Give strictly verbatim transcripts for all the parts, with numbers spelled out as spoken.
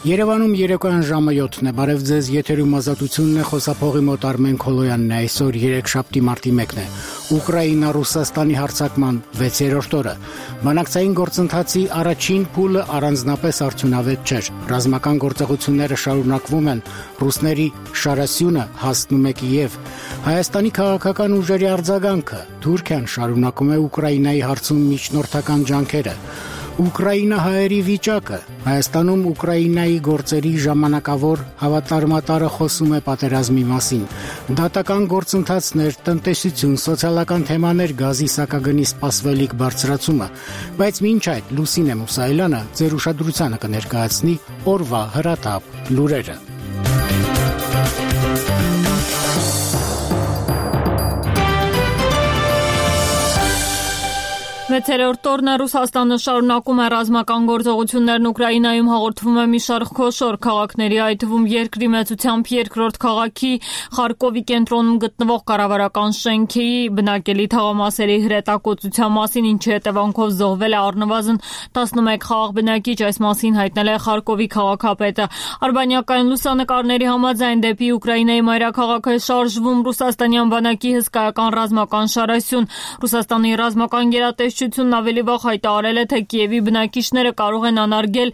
Երևանում երեկոյան ժամը յոթն է, բարև ձեզ, եթերում ազատությունն է, խոսափողի մոտ Արմեն Քոլոյանն է, այսօր երեքշաբթի մարտի մեկն է, Ուկրաինա-Ռուսաստանի հարձակման վեցերորդ օրը, բանակցային գործընթացի առաջին փուլը առանձնապես արդյունավետ չէր, ռազմական գործողությունները շարունակվում են, ռուսների շարասյունը հասնում է Կիև, Հայաստանի քաղաքական ուժերի արձագանքը, Թուրքիան շարունակում է Ուկրաինայի հարցում միջնորդական ջանքերը, Ուկրաինահայերի վիճակը, Հայաստանում Ուկրաինայի գործերի ժամանակավոր հավատարմատարը խոսում է պատերազմի մասին, դատական գործընթացներ, տնտեսություն, սոցիալական թեմաներ, գազի սակագնի սպասվելիք բարձրացումը, բայց մինչ այդ Լուսինե Մուսայելյանը ձեր ուշադրությանը կներկայացնի օրվա հրատապ լուրերը։ Վեցերորդ օրն է Ռուսաստանը շարունակում է ռազմական գործողություններն Ուկրաինայում հաղորդվում է մի շարք խոշոր քաղաքների, այդ թվում երկրի մեծությամբ երկրորդ քաղաքի Խարկովի կենտրոնում գտնվող կառավարական շենքի բնակելի թաղամասերի հրետակոծության մասին, ինչի հետևանքով զոհվել է առնվազն տասնմեկ խաղաղ բնակիչ, այս մասին հայտնել է Խարկովի քաղաքապետը։ Արբանյակային լուսանկարների համաձայն դեպի Ուկրաինայի մայրաքաղաք է շարժվում ռուսաստանյան բանակի հսկայական ռազմական շարասյուն։ Ռուսաստանի ռազմական գերատեսչությունն ավելի վաղ հայտարարել է, թե Կիևի բնակիչները կարող են անարգել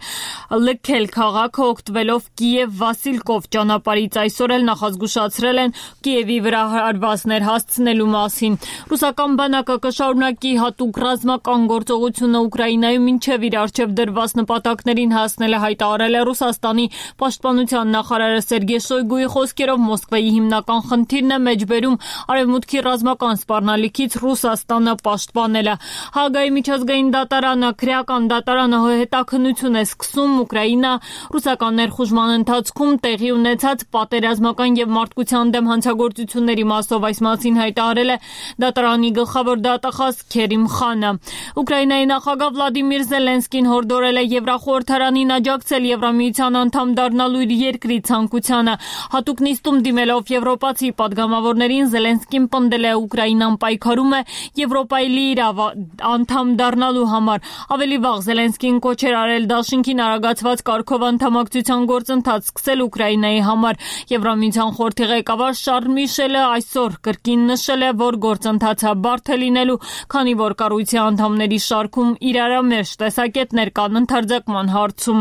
լքել քաղաքը օգտվելով Կիև-Վասիլկով ճանապարհից, այսօր էլ նախազգուշացրել են Կիևի վրա հարվածներ հասցնելու մասին։ Ռուսական բանակը կշարունակի հատուկ ռազմական գործողությունը Ուկրաինայում մինչև իր առջև դրված նպատակներին հասնել է, հայտարարել է Ռուսաստանի պաշտպանության նախարարը Սերգեյ Շոյգուի խոսքերով Մոսկվայի հիմնական խնդիրն է մեջբերում արևմուտքի ռազմական սպառնալիքից Ռուսաստանը պաշտպանելը։ Հագայի միջազգային դատարանը, քրեական դատարանը հետաքննություն է սկսում Ուկրաինա-ռուսական ներխուժման ընթացքում տեղի ունեցած պատերազմական եւ մարդկության դեմ հանցագործությունների մասով, այս մասին հայտարարել է դատարանի գլխավոր դատախազ Քերիմ Խանը։ Ուկրաինայի նախագահ Վլադիմիր Զելենսկին հորդորել է Եվրախորհրդարանին աջակցել Եվրամիության անդամ դառնալու իր երկրի ցանկությանը։ Հատուկ նիստում դիմելով եվրոպացի պատգամավորներին Զելենսկին պնդել է Ուկրաինան պայքարում է Եվրոպայի լիիրավ անդամ դառնալու համար։ Ավելի վաղ Զելենսկին կոչ էր արել դաշինքին արագացված կարգով անդամակցության գործընթաց սկսել Ուկրաինայի համար։ Եվրամիության խորհրդի ղեկավար Շարլ Միշելը այսօր կրկին նշել է, որ գործընթացը բարդ է լինելու, քանի որ կառույցի անդամների շարքում իրարամերժ տեսակետներ կան ընդարձակման հարցում։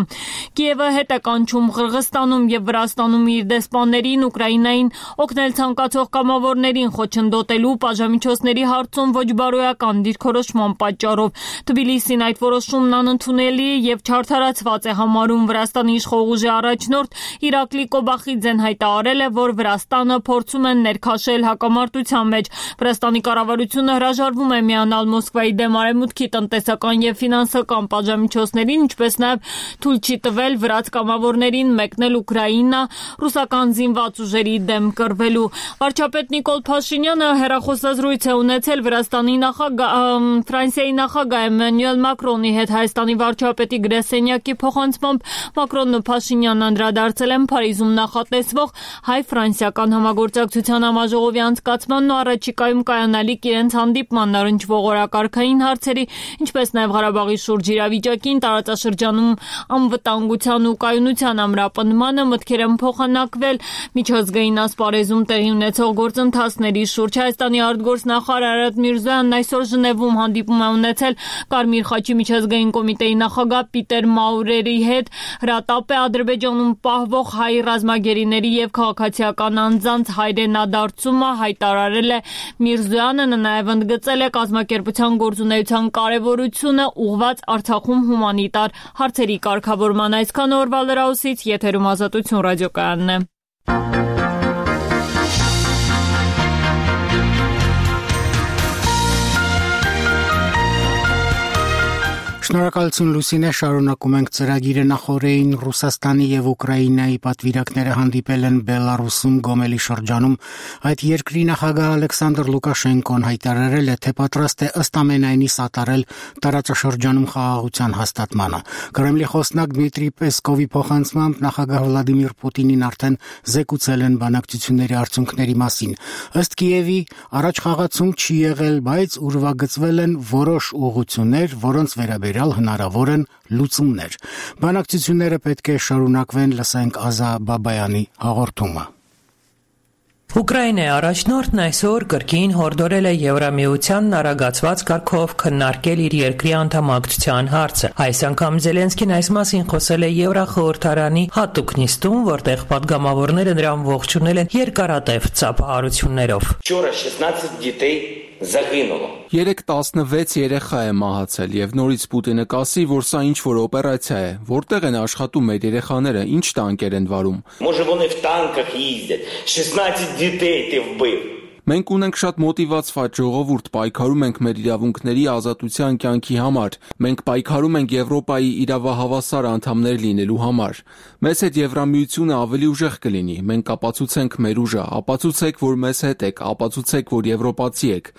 Կիևը հետ է կանչում Ղրղստանում եւ Վրաստանում իր դեսպաններին Ուկրաինային օգնել ցանկացող կամավորներին խոչընդոտելու պատժամիջոցների հարցում ոչ բարոյական դիրքորոշման պատճառով։ Թբիլիսին այդ որոշումն անընդունելի եւ չարդարացված է համարում։ Վրաստանի իշխող ուժի առաջնորդ Իրակլի Կոբախիձեն հայտարարել է, որ Վրաստանը փորձում են ներքաշել հակամարտության մեջ։ Վրաստանի կառավարությունը հրաժարվում է միանալ Մոսկվայի դեմ արևմուտքի տնտեսական եւ ֆինանսական պատժամիջոցներին, ինչպես նաեւ թույլ չի տվել վրաց կամավորներին մեկնել Ուկրաինա ռուսական զինված ուժերի դեմ կռվելու։ Վարչապետ Նիկոլ Փաշինյանը հեռախոսազրույց է ունեցել Վրաստանի նախագահ Ֆրանսիայի նախագահ Էմանուել Մակրոնի հետ Հայաստանի վարչապետի գրասենյակի փոխանցմամբ Մակրոնն ու Փաշինյանն անդրադարձել են Փարիզում նախատեսվող հայ-ֆրանսիական համագործակցության համաժողովի անցկացմանն ու առաջիկայում կայանալիք իրենց հանդիպմանն առնչվող օրակարգային հարցերի, ինչպես նաև Ղարաբաղի շուրջ իրավիճակին, տարածաշրջանում անվտանգության ու կայունության ամրապնդմանը, մտքեր են փոխանակվել միջազգային ասպարեզում տեղի ունեցող գործընթացների շուրջ։ Հայաստանի արտգործնախարար Արարատ Միրզոյանն այսօր Ժնևում հանդիպում է ունեցել Կարմիր խաչի միջազգային կոմիտեի նախագահ Պիտեր Մաուրերի հետ։ Հրատապ է Ադրբեջանում պահվող հայ ռազմագերիների եւ քաղաքացիական անձանց հայրենադարձումը, հայտարարել է Միրզոյանը, նաև ընդգծել է կազմակերպության գործունեության կարևորությունը ուղղված Արցախում հումանիտար հարցերի կարգավորման։ Այսքան օրվա լրահոսից, եթերում Ազատություն ռադիոկայանն է։ Շնորհակալություն Լուսինե, շարունակում ենք ծրագիրը նախորդին Ռուսաստանի եւ Ուկրաինայի պատվիրակները հանդիպել են Բելարուսում Գոմելի շրջանում։ Այդ երկրի նախագահ Ալեքսանդր Լուկաշենկոն հայտարարել է, թե պատրաստ է ըստ ամենայնի սատարել տարածաշրջանում խաղաղության հաստատմանը։ Կրեմլի խոսնակ Դմիտրի Պեսկովի փոխանցմամբ նախագահ Վլադիմիր Պուտինին արդեն զեկուցել են բանակցությունների արդյունքների մասին։ Ըստ Կիևի առաջ խաղացում չի եղել, բայց ուրվագծվել են որոշ ուղղություններ, որոնց վերաբերյալ վերաբերյալ հնարավոր են լուծումներ։ Բանակցությունները պետք է շարունակվեն, լսենք Ազա Բաբայանի հաղորդումը։ Ուկրաինայի առաջնորդն այսօր կրկին հորդորել է Եվրամիությանն արագացված կարգով քննարկել իր երկրի անդամակցության հարցը։ Այս անգամ Զելենսկին այս մասին խոսել է Եվրախորհրդարանի հատուկ նիստում, որտեղ պատգամավորները նրան ողջունել են երկարատև ծափահարություններով։ Երեկ տասնվեց երեխա է մահացել եւ նորից Պուտինը կասի, որ սա ինչ-որ օպերացիա է, որտեղ են աշխատում մեր երեխաները, ինչ տանկեր են վարում։ Մենք ունենք շատ մոտիվացված ժողովուրդ, պայքարում ենք մեր իրավունքների ազատության կյանքի համար։ Մենք պայքարում ենք Եվրոպայի իրավահավասար անդամներ լինելու համար։ Մեզ հետ Եվրամիությունը ավելի ուժեղ կլինի։ Մենք ապացուցենք մեր ուժը, ապացուցեք, որ մեզ հետ եք, ապացուցեք, որ եվրոպացի եք։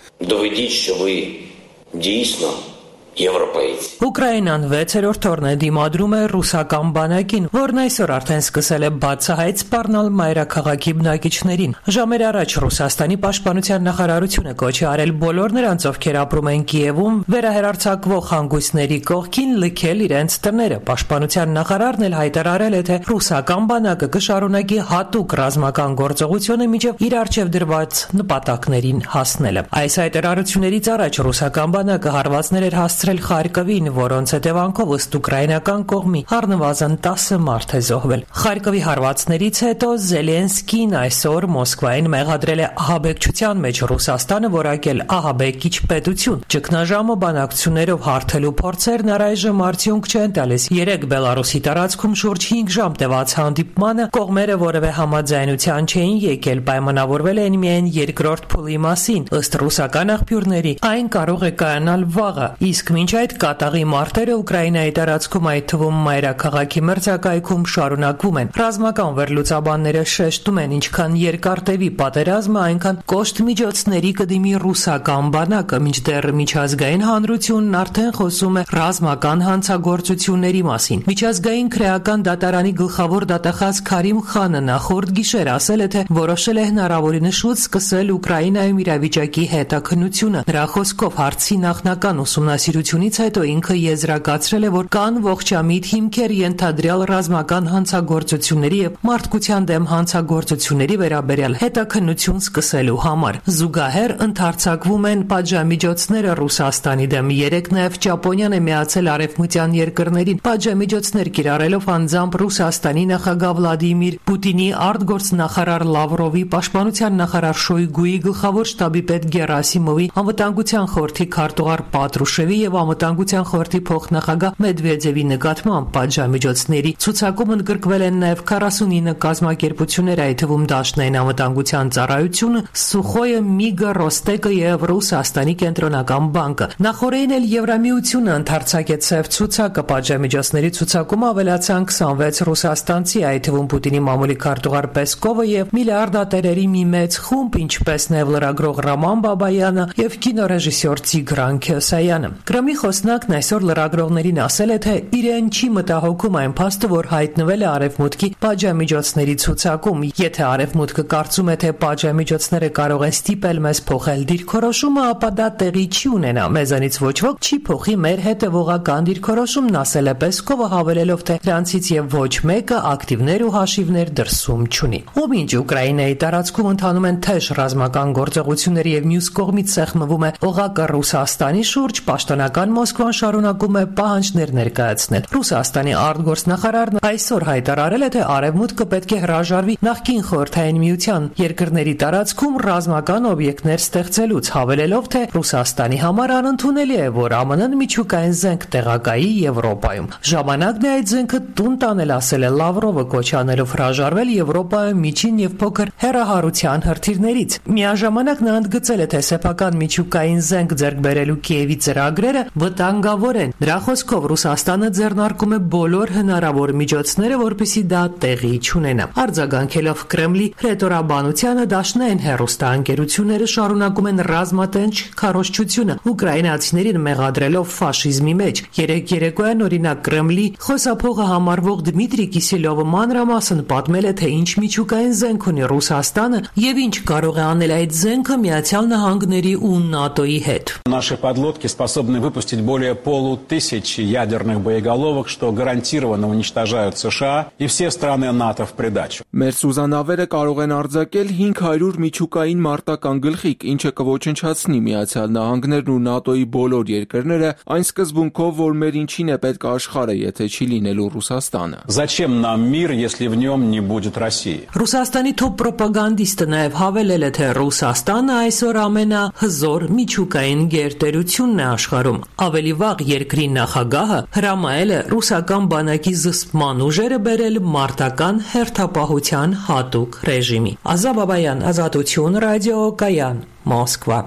Ուկրաինան վեցերորդ օրն է դիմադրում է ռուսական բանակին, որն այսօր արդեն սկսել է բացահայտ սպառնալ մայրաքաղաքի բնակիչներին։ Ժամեր առաջ Ռուսաստանի պաշտպանության նախարարությունը կոչ է արել բոլոր նրանց, ովքեր ապրում են Կիևում, վերահեռարձակվող հանգույցների կողքին լքել իրենց տները։ Պաշտպանության նախարարն էլ հայտարարել է, թե ռուսական բանակը կշարունակի հատուկ ռազմական գործողությունը մինչև իր առջև դրված նպատակներին հասնելը։ Այս հայտարարություններից առաջ ռուսական բանակը հարվածներ էր հասցրել Խարկովին, որոնց հետևանքով ըստ ուկրաինական կողմի առնվազն տասը մարդ է զոհվել։ Խարկովի հարվածներից հետո Զելենսկին այսօր Մոսկվային մեղադրել է ահաբեկչության մեջ Ռուսաստանը որակել ահաբեկիչ պետություն։ Ճգնաժամը բանակցություններով հարթելու փորձերն առայժմ արդյունք չեն տալիս։ Երեկ Բելարուսի տարածքում շուրջ հինգ ժամ տևած հանդիպմանը կողմերը որևէ համաձայնության չէին եկել, պայմանավորվել են միայն երկրորդ փուլի մասին։ Ըստ ռուսական աղբյուրների այն կարող է կայանալ վաղը, իսկ մինչ այդ կատաղի մարտերը Ուկրաինայի տարածքում, այդ թվում մայրաքաղաքի մրցակայքում շարունակվում են։ Ռազմական վերլուծաբանները շեշտում են, ինչքան երկար տևի պատերազմը, այնքան կոշտ միջոցների կդիմի ռուսական բանակը, մինչդեռ միջազգային հանրությունն արդեն խոսում է ռազմական հանցագործությունների մասին։ Միջազգային քրեական դատարանի գլխավոր դատախազ Քարիմ Խանը նախորդ գիշեր ասել է, թե որոշել է հնարավորինս շուտ սկսել Ուկրաինայում իրավիճակի հետաքննությունը։ Նրա խոսքով հարցի նախնական ուսումնասիրությունից հետո ինքը եզրակացրել է, որ կան ողջամիտ հիմքեր ենթադրյալ ռազմական հանցագործությունների եւ մարդկության դեմ հանցագործությունների վերաբերյալ հետաքննություն սկսելու համար։ Զուգահեռ ընդարձակվում են պատժամիջոցները Ռուսաստանի դեմ։ Երեկ նաեւ Ճապոնիան է միացել արևմտյան երկրներին պատժամիջոցներ կիրառելով անձամբ Ռուսաստանի նախագահ Վլադիմիր Պուտինի արտգործնախարար Լավրովի, պաշտպանության նախարար Շոյգուի, գլխավոր շտաբի պետ Գերասիմովի, անվտանգության խորհրդի քարտուղար Պատրուշևի եւ անվտանգության խորհրդի փոխնախագահ Մեդվեդևի նկատմամբ պատժամիջոցների ցուցակում ընդգրկվել են նաեւ քառասունինը կազմակերպություններ, այդ թվում Դաշնային անվտանգության ծառայությունը, Սուխոյը, Միգը, Ռոստեկը եւ Ռուսաստանի կենտրոնական բանկը։ Նախորդին էլ Եվրամիությունը ընդարձակեց սև ցուցակը։ Պատժամիջոցների ցուցակում ավելացան քսանվեց ռուսաստանցի, այդ թվում Պուտինի մամուլի քարտուղար Պեսկովը եւ միլիարդատերերի մի մեծ խումբ, ինչպես նաեւ լրագրող Ռաման Բաբայանը եւ կինոռեժիսոր Տիգրան Քյոսայանը։ Կրեմլի խոսնակն այսօր լրագրողներին ասել է, թե իրեն չի մտահոգում այն փաստը, որ հայտնվել է Արևմուտքի պատժամիջոցների ցուցակում։ Եթե Արևմուտքը կարծում է, թե պատժամիջոցները կարող են ստիպել մեզ փոխել դիրքորոշումը, ապա դա տեղի չի ունենա։ Մեզանից ոչ ոք չի փոխի մեր հետևողական դիրքորոշումն, ասել է Պեսկովը, հավելելով, թե դրանցից եւ ոչ մեկը ակտիվներ ու հաշիվներ դրսում չունի։ Ով ինչ Ուկրաինայի տարածքում ընթանում են թեժ ռազմական գործողություններ եւ մյուս կողմից սեղմվում է օղակը Ռուսաստանի շուրջ, պաշտոնական Մոսկվան շարունակում է պահանջներ ներկայացնել։ Ռուսաստանի արտգործնախարարն այսօր հայտարարել է, թե Արևմուտքը պետք է հրաժարվի նախկին Խորհրդային Միության երկրների տարածքում ռազմական օբյեկտներ ստեղծելուց, հավելելով, թե Ռուսաստանի համար անընդունելի է, որ ԱՄՆ-ն միջուկային զենք տեղակայի Եվրոպայում։ Ժամանակն է այդ զենքը տուն տանել, ասել է Լավրովը, կոչ անելով հրաժարվել Եվրոպայում միջին եւ փոքր հեռահարության հրթիռներից։ Միաժամանակ նա ընդգծել է, թե սեփական միջուկային զենք ձեռք բերելու Կիևի ծրագրերը վտանգավոր են։ Նրա խոսքով Ռուսաստանը ձեռնարկում է բոլոր հնարավոր միջոցները, որպեսզի դա տեղի չունենա։ Արձագանքելով Կրեմլի հրետորաբանությանը, Դաշնային հեռուստաընկերությունները շարունակում են ռազմատենչ քարոզչությունը ուկրաինացիներին մեղադրելով ֆաշիզմի մեջ։ Երեկ երեկոյան օրինակ Կրեմլի խոսափողը համարվող Դմիտրի Կիսելյովը մանրամասն պատմել է, թե ինչ միջուկային զենք ունի Ռուսաստանը եւ ինչ կարող է անել այդ զենքը Միացյալ Նահանգների ու ՆԱՏՕ-ի հետ։ Наши подлодки способны выпустить более полутысячи ядерных боеголовок, что гарантированно уничтожают США и все страны НАТО в придачу. Մեր սուզանավերը կարող են արձակել հինգ հարյուր միջուկային մարտական գլխիկ, ինչը կոչնչացնի Միացյալ Նահանգներն ու ՆԱՏՕ-ի բոլոր երկրները, այն սկզբունքով, որ մեր ինչին է պետք աշխարհը, եթե չի լինելու Ռուսաստանը։ Зачем нам мир, если в нем не будет России? Ռուսաստանի թոփ պրոպագանդիստը նաև հավելել է, թե Ռուսաստանը այսօր ամենահզոր միջուկային գերտերությունն է աշխարհում։ Ավելի վաղ երկրի նախագահը հրամայել է ռուսական բանակի զսպման ուժերը բերել մարտական հերթապահության հատուկ ռեժիմի։ Ազատ Բաբայան, Ազատություն, ռադիո Կայան, Մոսկվա։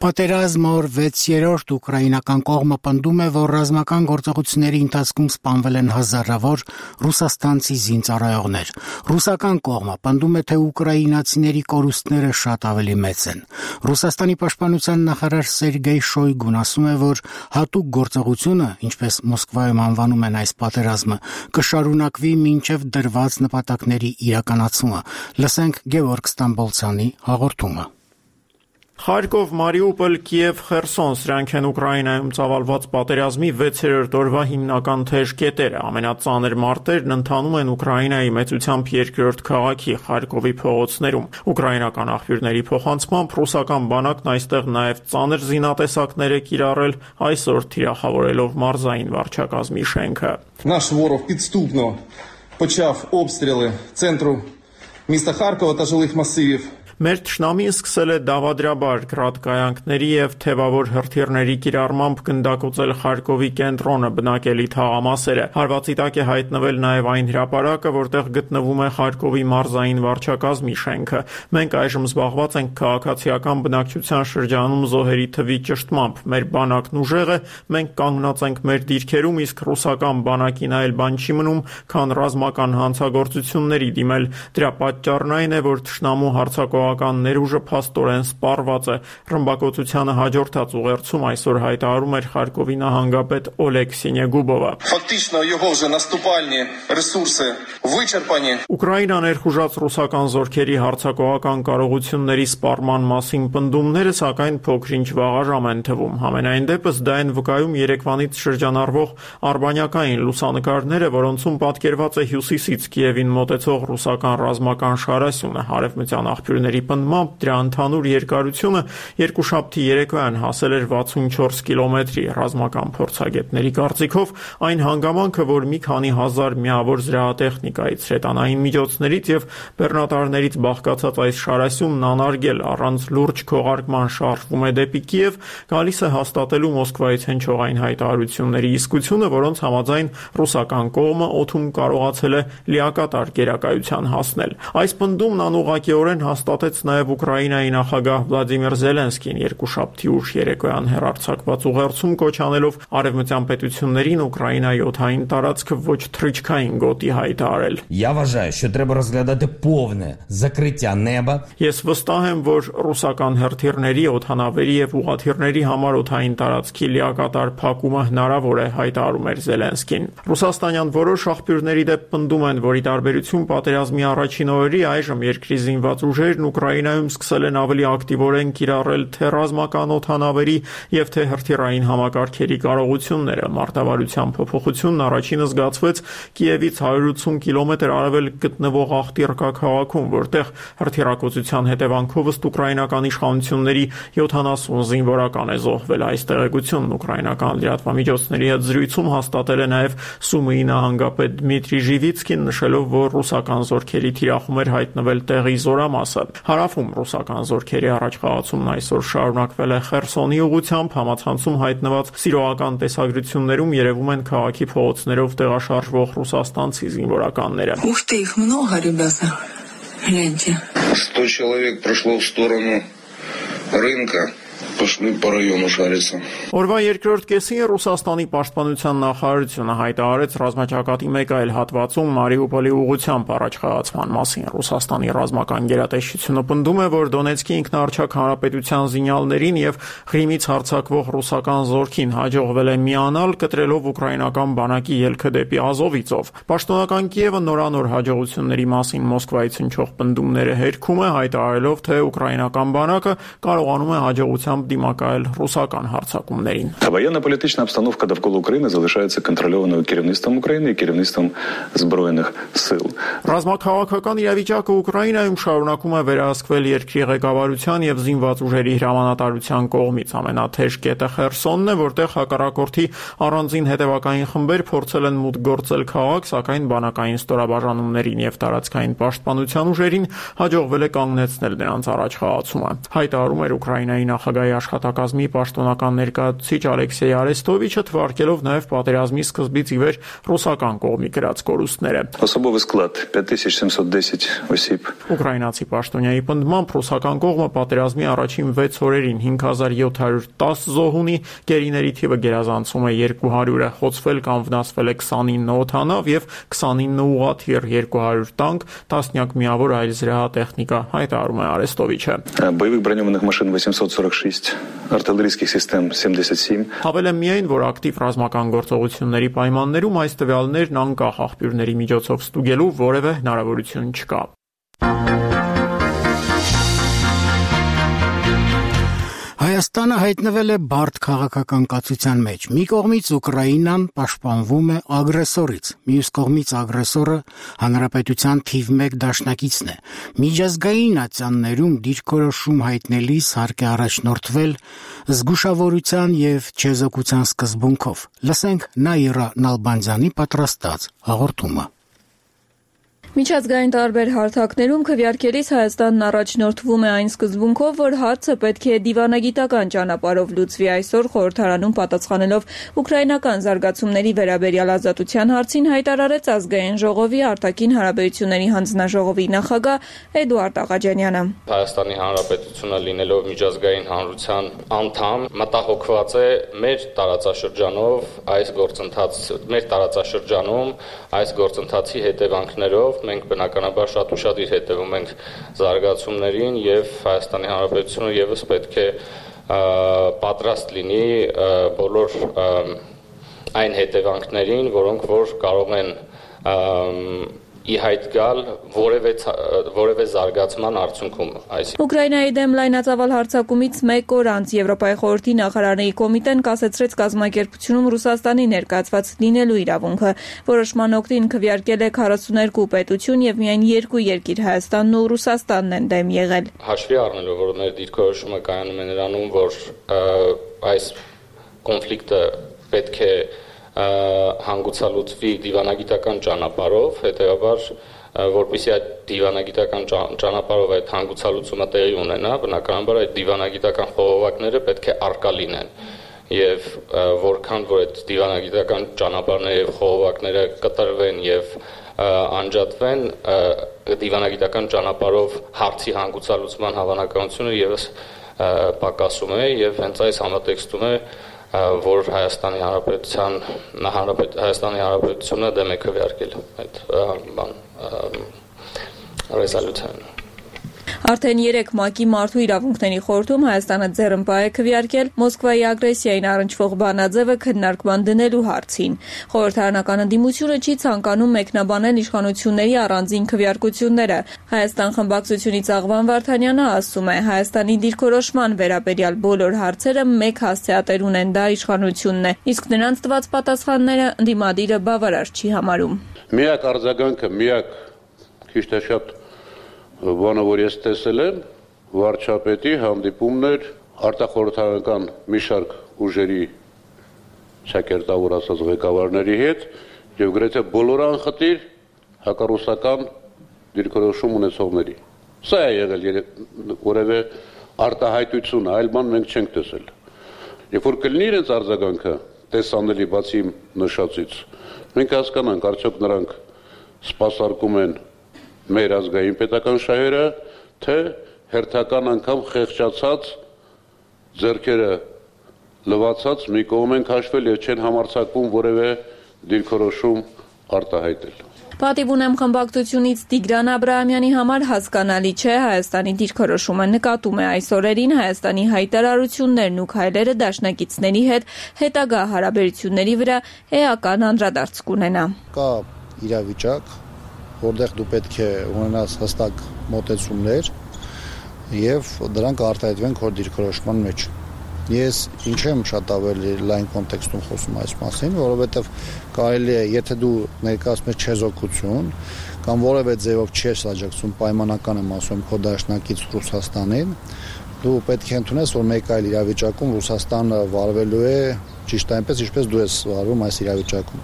Պատերազմը օր վեցերորդ ուկրաինական կողմը պնդում է, որ ռազմական գործողությունների ընթացքում սպանվել են հազարավոր ռուսաստանցի զինծառայողներ։ Ռուսական կողմը պնդում է, թե ուկրաինացիների կորուստները շատ ավելի մեծ են։ Ռուսաստանի պաշտպանության նախարար Սերգեյ Շոյգուն ասում է, որ հատուկ գործողությունը, ինչպես Մոսկվայում անվանում են այս պատերազմը, կշարունակվի մինչև դրված նպատակների իրականացումը։ Լսենք Գևորգ Ստամբոլցյանի հաղորդումը։ Խարկով, Մարիուպոլ, Կիև, Խերսոն, սրանք են Ուկրաինայում ծավալված պատերազմի վեցերորդ օրվա հիմնական թեժ կետերը։ Ամենածանր մարտերն ընթանում են Ուկրաինայի մեծությամբ երկրորդ քաղաքի Խարկովի փողոցներում։ Ուկրաինական աղբյուրների փոխանցմամբ ռուսական բանակն այստեղ նաև ծանր զինատեսակներ է կիրառել, այսօր թիրախավորելով մարզային վարչակազմի շենքը։ Наш ворог підступно почав обстріли центру міста Харкова та жилих масивів. Մեր թշնամին սկսել է դավադրաբար գրադկայանքների եւ թևավոր հրթիռների կիրառմամբ գնդակոծել Խարկովի կենտրոնը, բնակելի թաղամասերը։ Հարվածի տակ է հայտնվել նաեւ այն հրապարակը, որտեղ գտնվում է Խարկովի մարզային վարչակազմի շենքը։ Մենք այժմ զբաղված ենք քաղաքացիական բնակչության շրջանում զոհերի թվի ճշտմամբ։ Մեր բանակն ուժեղ է, մենք կանգնած ենք մեր դիրքերում, իսկ ռուսական բանակին այլ բան չի մնում, քան ռազմական հանցագործությունների դիմել։ Դրա պատճառն այն է, որ թշնամու հարձակող ներուժը փաստորեն սպառված է։ Ռմբակոծությանը հաջորդած ուղերձում այսօր հայտարարում էր Խարկովի նահանգապետ Օլեգ Սինեգուբովը։ Фактично його вже наступальні ресурси вичерпані. Ուկրաինան ներխուժած ռուսական զորքերի հարձակողական կարողությունների սպառման մասին պնդումները սակայն փոքրինչ վաղաժամ են թվում։ Համենայն դեպս դա են վկայում երեկվանից շրջանառվող արբանյակային լուսանկարները, որոնցում պատկերված է հյուսիսից Կիևին մոտեցող ռուսական ռազմական շարասյունը։ Հարևմտյան աղբյուրների պնդմամբ դրա ընդհանուր երկարությունը երկուշաբթի երեկոյան հասել էր վաթսունչորս կիլոմետրի։ Ռազմական փորձագետների կարծիքով այն հանգամանքը, որ մի քանի հազար միավոր զրահատեխնիկայից, հրետանային միջոցներից եւ բեռնատարներից բաղկացած այս շարասյունն անարգել առանց լուրջ քողարկման շարժվում է դեպի Կիև, գալիս է հաստատելու Մոսկվայից հնչող այն հայտարարությունների իսկությունը, որոնց համաձայն ռուսական կողմը օդում կարողացել է լիակատար գերակայության հասնել։ Այս պնդումն անուղղակիորեն հաստատեց նաև Ուկրաինայի նախագահ Վլադիմիր Զելենսկին երկուշաբթի ուշ երեկոյան հեռարձակված ուղերձում կոչ անելով արևմտյան պետություններին Ուկրաինայի օդային տարածքը ոչ թռիչքային գոտի հայտարարել։ Я вважаю, що треба розглядати повне закриття неба. Ես վստահ եմ, որ ռուսական հրթիռների, օդանավերի եւ ուղղաթիռների համար օդային տարածքի լիակատար փակումը հնարավոր է, հայտարարում էր Զելենսկին։ Ռուսաստանյան որոշ աղբյուրների դեպ պնդում են, որ ի տարբերություն պատերազմի առաջին օրերի այժմ երկրի զինված ուժերն Ուկրաինայում սկսել են ավելի ակտիվորեն կիրառել թե ռազմական օդանավերի եւ թե հրթիռային համակարգերի կարողությունները։ Մարտավարության փոփոխությունն առաջինը զգացվեց Կիևից հարյուր ութսուն կիլոմետր արևելք գտնվող Ախտիրկա քաղաքում, որտեղ հրթիռակոծության հետևանքով ըստ ուկրաինական իշխանությունների յոթանասուն զինվորական է զոհվել։ Այս տեղեկությունն ուկրաինական լրատվամիջոցների հետ զրույցում հաստատել է նաեւ Սումիի նահանգապետ Դմիտրի Ժիվիցկին, նշելով, որ ռուսական զորքերի թիրախում էր հայտնվել տեղի զորամասը։ Հարավում ռուսական զորքերի առաջխաղացումն այսօր շարունակվել է Խերսոնի ուղղությամբ, համացանցում հայտնված սիրողական տեսագրություններում երևում են քաղաքի փողոցներով տեղաշարժվող ռուսաստանցի զինվորականները։ Ух ты, их много, ребята. Гляньте. сто человек прошло в сторону рынка. Пошли по району шариться. Օրվա երկրորդ կեսին Ռուսաստանի պաշտպանության նախարարությունը հայտարարեց ռազմաճակատի մեկ այլ հատվածում Մարիուպոլի ուղղությամբ առաջ խաղացման մասին։ Ռուսաստանի ռազմական գերատեսչությունը պնդում է, որ Դոնեցկի ինքնաառչակ հանրապետության զինյալներին եւ Ղրիմից հարձակվող ռուսական զորքին հաջողվել է միանալ, կտրելով ուկրաինական բանակի ելքը դեպի Ազովիցով։ Պաշտոնական Կիևը նորանոր հաջողությունների մասին Մոսկվայից հնչող պնդումները հերքում է, հայտարարելով, թե ուկրաինական բանակը կարողանում է հաջողությամբ դիմակայել ռուսական հարձակումներին։ Военно-політична обстановка довкола України залишається контрольованою керівництвом України і керівництвом Збройних сил. Ռազմաքաղաքական իրավիճակը Ուկրաինայում շարունակում է վերահսկվել երկրի ղեկավարության եւ զինված ուժերի հրամանատարության կողմից։ Ամենաթեժ կետը Խերսոնն է, որտեղ հակառակորդի առանձին հետևակային խմբեր փորձել են մուտք գործել քաղաք, սակայն բանակային ստորաբաժանումներին եւ տարածքային պաշտպանության ուժերին հաջողվել է կանգնեցնել նրանց առաջխաղացումը։ Հայտարարում էր Ուկրաինայի նախագահի աշխատակազմի պաշտոնական ներկայացուցիչ Ալեքսեյ Արեստովիչը, թվարկելով նաև պատերազմի սկզբից ի վեր ռուսական կողմի գրած կորուստները։ Особовий склад п'ять тисяч сімсот десять осіб. Ուկրաինացի պաշտոնյայի պնդմամբ ռուսական կողմը պատերազմի առաջին վեց օրերին հինգ հազար յոթ հարյուր տասը զոհ ունի, գերիների թիվը գերազանցում է երկու հարյուրը, խոցվել կամ վնասվել է քսանինը օդանավ եւ քսանինը ուղղաթիռ, երկու հարյուր տանկ, տասնյակ միավոր այլ զրահատեխնիկա, հայտարարում է Արեստովիչը։ Боевых бронированных машин восемьсот сорок шесть, артиллерийских систем семьдесят семь. Հավելը միայն, որ ակտիվ ռազմական գործողությունների պայմաններում այս տվյալներն անկախ աղբյուրների միջոցով ստուգելու որևէ հնարավորություն չկա։ Հայաստանը հայտնվել է բարդ քաղաքական կացության մեջ։ Մի կողմից Ուկրաինան պաշտպանվում է ագրեսորից, մյուս կողմից ագրեսորը հանրապետության թիվ մեկ դաշնակիցն է։ Միջազգային ատյաններում դիրքորոշում հայտնելիս հարկ է առաջնորդվել զգուշավորության եւ չեզոքության սկզբունքով։ Լսենք Նաիրա Նալբանդյանի պատրաստած հաղորդումը։ Միջազգային տարբեր հարթակներում քվեարկելիս Հայաստանն առաջնորդվում է այն սկզբունքով, որ հարցը պետք է դիվանագիտական ճանապարհով լուծվի։ Այսօր խորհրդարանում պատասխանելով ուկրաինական զարգացումների վերաբերյալ ազատության հարցին հայտարարեց Ազգային ժողովի արտաքին հարաբերությունների հանձնաժողովի նախագահ Էդուարդ Աղաջանյանը։ Հայաստանի Հանրապետությունը լինելով միջազգային հանրության անդամ, մտահոգված է մեր տարածաշրջանով այս գործընթաց, մեր տարածաշրջանում այս գործընթացի հետևանքներով մենք բնականաբար շատ ուշադիր հետևում ենք զարգացումներին եւ Հայաստանի Հանրապետությունը եւս պետք է պատրաստ լինի բոլոր այն հետևանքներին, որոնք որ կարող են ի հայտ գալ որևէ որևէ զարգացման արդյունքում։ Ուկրաինայի դեմ լայնածավալ հարձակումից մեկ օր անց Եվրոպայի խորհրդի նախարարների կոմիտեն կասեցրեց կազմակերպությունում Ռուսաստանի ներկայացված լինելու իրավունքը։ Որոշման օգտին քվեարկել է քառասուներկու պետություն եւ միայն երկու երկիր Հայաստանն ու Ռուսաստանն են դեմ եղել։ Հաշվի առնելով, որ մեր դիրքորոշումը կայանում է նրանում, որ այս կոնֆլիկտը պետք է հանգուցալուծվի դիվանագիտական ճանապարհով, հետեւաբար որպեսզի այդ դիվանագիտական ճանապարհով այդ հանգուցալուծումը տեղի ունենա, բնականաբար այդ դիվանագիտական խողովակները պետք է արկա լինեն։ Եվ որքան որ այդ դիվանագիտական ճանապարհները եւ խողովակները կտրվեն եւ անջատվեն, դիվանագիտական ճանապարհով հարցի հանգուցալուծման հավանականությունը եւս պակասում է եւ հենց այս համատեքստում է որ Հայաստանի Հանրապետության Հայաստանի Հանրապետությունը դեմ է քվեարկել այդ բան ռեզոլյուցիան։ Արդեն երեք ՄԱԿ-ի մարդու իրավունքների խորհրդում Հայաստանը ձեռնպահ է քվեարկել Մոսկվայի ագրեսիային առնչվող բանաձևը քննարկման դնելու հարցին։ Խորհրդարանական ընդդիմությունը չի ցանկանում մեկնաբանել իշխանությունների առանձին քվեարկությունները։ Հայաստան խմբակցությունից Աղվան Վարդանյանը ասում է, Հայաստանի դիրքորոշման վերաբերյալ բոլոր հարցերը մեկ հասցեատեր ունեն, դա իշխանությունն է, իսկ նրանց տված պատասխանները ընդդիմադիրը բավարար չի համարում։ Միակ արձագանքը, միակ քիչ թե շատ բանը, որ ես տեսել եմ, վարչապետի հանդիպումներ արտախորհրդարանական մի շարք ուժերի շակերտավոր ասած ղեկավարների հետ եւ գրեթե բոլոր անխտիր հակառուսական դիրքորոշում ունեցողների։ Սա է եղել որևէ արտահայտություն, այլ բան մենք չենք տեսել։ Երբ որ կլինի իրենց արձագանքը տեսանելի բացի նշածից, մենք հասկանանք, արդյոք նրանք սպասարկում են մեր ազգային պետական շահերը, թե հերթական անգամ խեղճացած ձեռքերը լվացած մի կողմ են քաշվել եւ չեն համարձակվում որևէ դիրքորոշում արտահայտել։ Պատիվ ունեմ խմբակցությունից Տիգրան Աբրահամյանի համար հասկանալի չէ Հայաստանի դիրքորոշումը, նկատում է այս օրերին Հայաստանի հայտարարություններն ու քայլերը դաշնակիցների հետ հետագա հարաբերությունների վրա էական անդրադարձ կունենա։ Կա իրավիճակ, որտեղ դու պետք է ունենաս հստակ մոտեցումներ եւ դրանք արտահայտվեն քո դիրքորոշման մեջ։ Ես ինչ եմ շատ ավելի լայն կոնտեքստում խոսում այս մասին, որովհետև կարելի է, եթե դու ներկայացնում ես չեզոքություն կամ որևէ ձևով չես աջակցում պայմանական եմ ասում քո դաշնակից Ռուսաստանին, դու պետք է ընդունես, որ մեկ այլ իրավիճակում Ռուսաստանը վարվելու է ճիշտ այնպես, ինչպես դու ես վարվում այս իրավիճակում։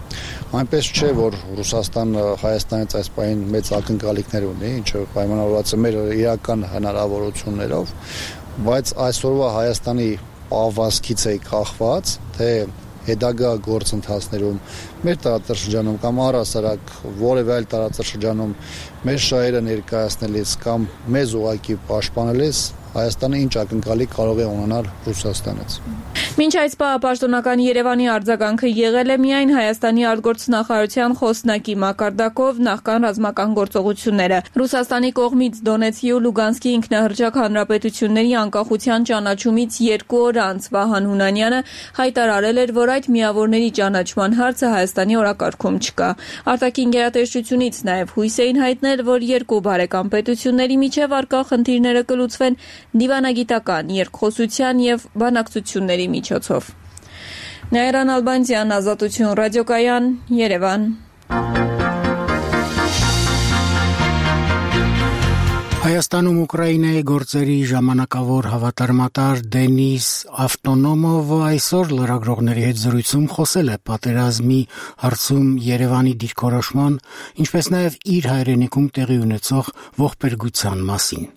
Այնպես չէ, որ Ռուսաստանը Հայաստանից այս պահին մեծ ակնկալիքներ ունի, ինչը պայմանավորված է մեր իրական հնարավորություններով, բայց այսօրվա Հայաստանի պահվածքից է կախված, թե հետագա գործընթացներում մեր տարածաշրջանում կամ առհասարակ որևէ այլ տարածաշրջանում մեր շահերը ներկայացնելիս կամ մեզ ուղղակի պաշտպանելիս Հայաստանը ինչ ակնկալիք կարող է ունենալ Ռուսաստանից։ Մինչ այս պահը պաշտոնական Երևանի արձագանքը եղել է միայն Հայաստանի արտգործնախարարության խոսնակի մակարդակով նախքան ռազմական գործողությունները։ Ռուսաստանի կողմից Դոնեցկի ու Լուգանսկի ինքնահռչակ հանրապետությունների անկախության ճանաչումից երկու օր անց Վահան Հունանյանը հայտարարել էր, որ այդ միավորների ճանաչման հարցը Հայաստանի օրակարգում չկա։ Արտաքին գերատեսչությունից նաև հույս էին հայտնել, որ երկու բարեկամ պետությունների միջև առկա խնդիրները կլուծվեն դիվանագիտական երկխոսության եւ բանակցությունների միջոցով։ Նաիրան Ալբանցյան, Ազատություն ռադիոկայան, Երևան։ Հայաստանում Ուկրաինայի գործերի ժամանակավոր հավատարմատար Դենիս Ավտոնոմովը այսօր լրագրողների հետ զրույցում խոսել է պատերազմի հարցում Երևանի դիրքորոշման, ինչպես նաև իր հայրենիքում տեղի ունեցող ողբերգության մասին։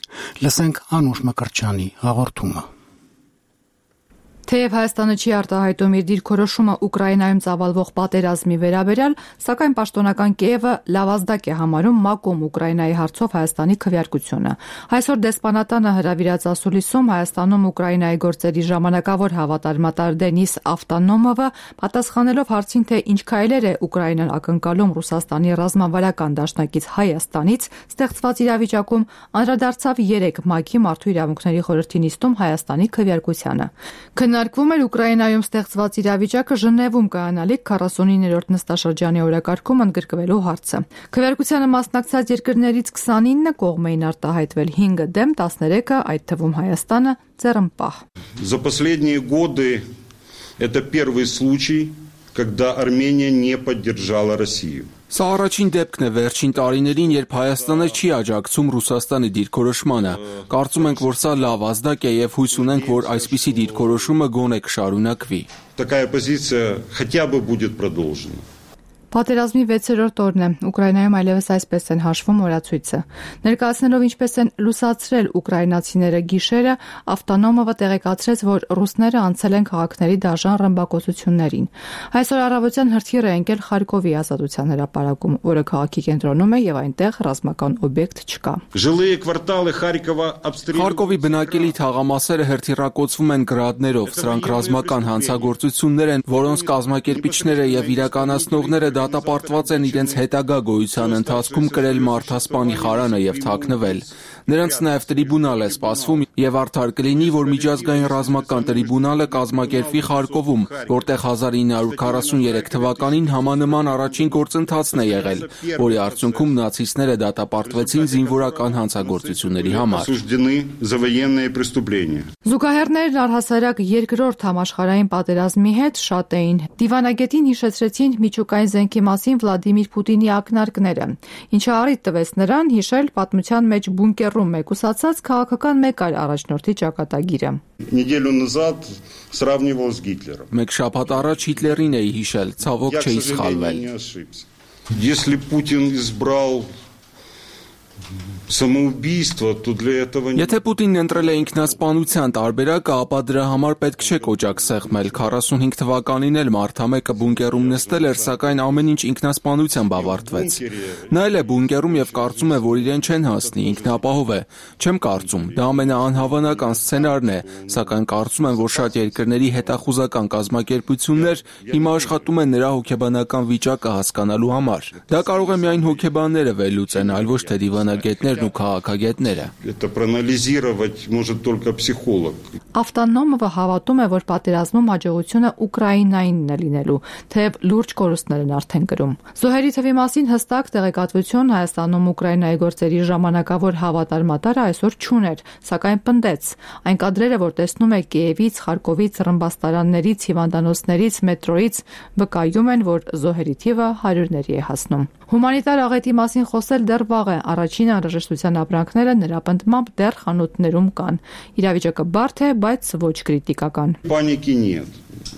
Լսենք Անուշ Մկրտչյանի հաղորդումը։ Թեև Հայաստանը չի արտահայտում իր դիրքորոշումը Ուկրաինայում ծավալվող պատերազմի վերաբերյալ, սակայն պաշտոնական Կիևը լավազդակ է համարում ՄԱԿ-ում Ուկրաինայի հարցով Հայաստանի քվեարկությունը։ Այսօր դեսպանատանը հրավիրած ասուլիսում Հայաստանում Ուկրաինայի գործերի ժամանակավոր հավատարմատար Դենիս Ավտոնոմովը պատասխանելով հարցին, թե ինչ քայլեր է Ուկրաինան ակնկալում Ռուսաստանի ռազմավարական դաշնակից Հայաստանից ստեղծված իրավիճակում, անդրադարձավ երեք ՄԱԿ-ի Մարդու իրավունքների խորհրդի նիստում Հայաստանի քվեարկությանը։ Քննարկվում էր Ուկրաինայում ստեղծված իրավիճակը Ժնևում կայանալիք քառասունիններորդ նստաշրջանի օրակարգում ընդգրկվելու հարցը։ Քվեարկությանը մասնակցած երկրներից քսանինը կողմ էին արտահայտվել հինգը դեմ, տասներեքը, այդ թվում Հայաստանը, ձեռնպահ։ За последние годы это первый случай, когда Армения не поддержала Россию. Սա առաջին դեպքն է վերջին տարիներին, երբ Հայաստանը չի աջակցում Ռուսաստանի դիրքորոշմանը։ Կարծում ենք, որ սա լավ ազդակ է եւ հույս ունենք, որ այսպիսի դիրքորոշումը գոնե կշարունակվի։ Такая позиция хотя бы будет продолжена. Պատերազմի վեցերորդ օրն է, Ուկրաինայում այլևս այսպես են հաշվում օրացույցը։ Ներկայացնելով ինչպես են լուսացրել ուկրաինացիները գիշերը, Ավտոնոմովը տեղեկացրեց, որ ռուսները անցել են քաղաքների դաժան ռմբակոծություններին։ Այսօր առավոտյան հրթիռ է ընկել Խարկովի ազատության հրապարակում, որը քաղաքի կենտրոնում է եւ այնտեղ ռազմական օբյեկտ չկա։ Խարկովի բնակելի թաղամասերը հրթիռակոծվում են գրադներով, սրանք ռազմական հանցագործություններ են, որոնց կազմակերպիչները եւ իրականացնողները դատապարտված են իրենց հետագա գոյության ընթացքում կրել մարդասպանի խարանը եւ թաքնվել։ Նրանց նաև տրիբունալ է սպասվում եւ արդար կլինի, որ միջազգային ռազմական տրիբունալը կազմակերպվի Խարկովում, որտեղ հազար ինը հարյուր քառասուններեք թվականին համանման առաջին գործընթացն է եղել, որի արդյունքում նացիստները դատապարտվեցին զինվորական հանցագործությունների համար։ Զուգահեռներն առհասարակ երկրորդ համաշխարհային պատերազմի հետ շատ էին։ Դիվանագետին հիշեցրեցին միջուկային զենքի մասին Վլադիմիր Պուտինի ակնարկները, ինչը առիթ տվեց նրան հիշել պատմության մեջ բունկերում մեկուսացած քաղաքական մեկ այլ առաջնորդի ճակատագիրը։ Մեկ շաբաթ առաջ Հիտլերին էի հիշել, ցավոք չէի սխալվել։ Если Путин избрал Самоубийство, то для этого... Եթե Պուտինն ընտրել է ինքնասպանության տարբերակը, ապա դրա համար պետք չէ կոճակ սեղմել։ քառասունհինգ թվականին էլ մարդամեկը բունկերում նստել էր, սակայն ամեն ինչ ինքնասպանությամբ ավարտվեց։ Նա էլ է բունկերում եւ կարծում է, որ իրեն չեն հասնի, ինքնապահով է։ Չեմ կարծում, դա ամենաանհավանական սցենարն է, սակայն կարծում եմ, որ շատ երկրների հետախուզական կազմակերպություններ հիմա աշխատում են նրա հոգեբանական վիճակը հասկանալու համար։ Դա կարող է միայն հոգեբանները վերլուծեն, այլ ոչ թե դիվանագետներ ու քաղաքագետները։ Это проанализировать может только психолог. Ավտոնոմովը հավատում է, որ պատերազմում հաջողությունը Ուկրաինայինն է լինելու, թեև լուրջ կորուստներ են արդեն կրում։ Զոհերի թվի մասին հստակ տեղեկատվություն Հայաստանում Ուկրաինայի գործերի ժամանակավոր հավատարմատարը այսօր չուներ, սակայն պնդեց։ Այն կադրերը, որ տեսնում է Կիևից, Խարկովից, ռմբաստարաններից, հիվանդանոցներից, մետրոյից, վկայում են, որ զոհերի թիվը հարյուրների է հասնում։ Հումանիտար աղետի մասին խոսել դեռ վաղ է, առաջին անհրաժեշտության ապրանքները նրա պնդմամբ դեռ խանութներում կան։ Իրավիճակը բարդ է, բայց ոչ կրիտիկական։ Паники нет.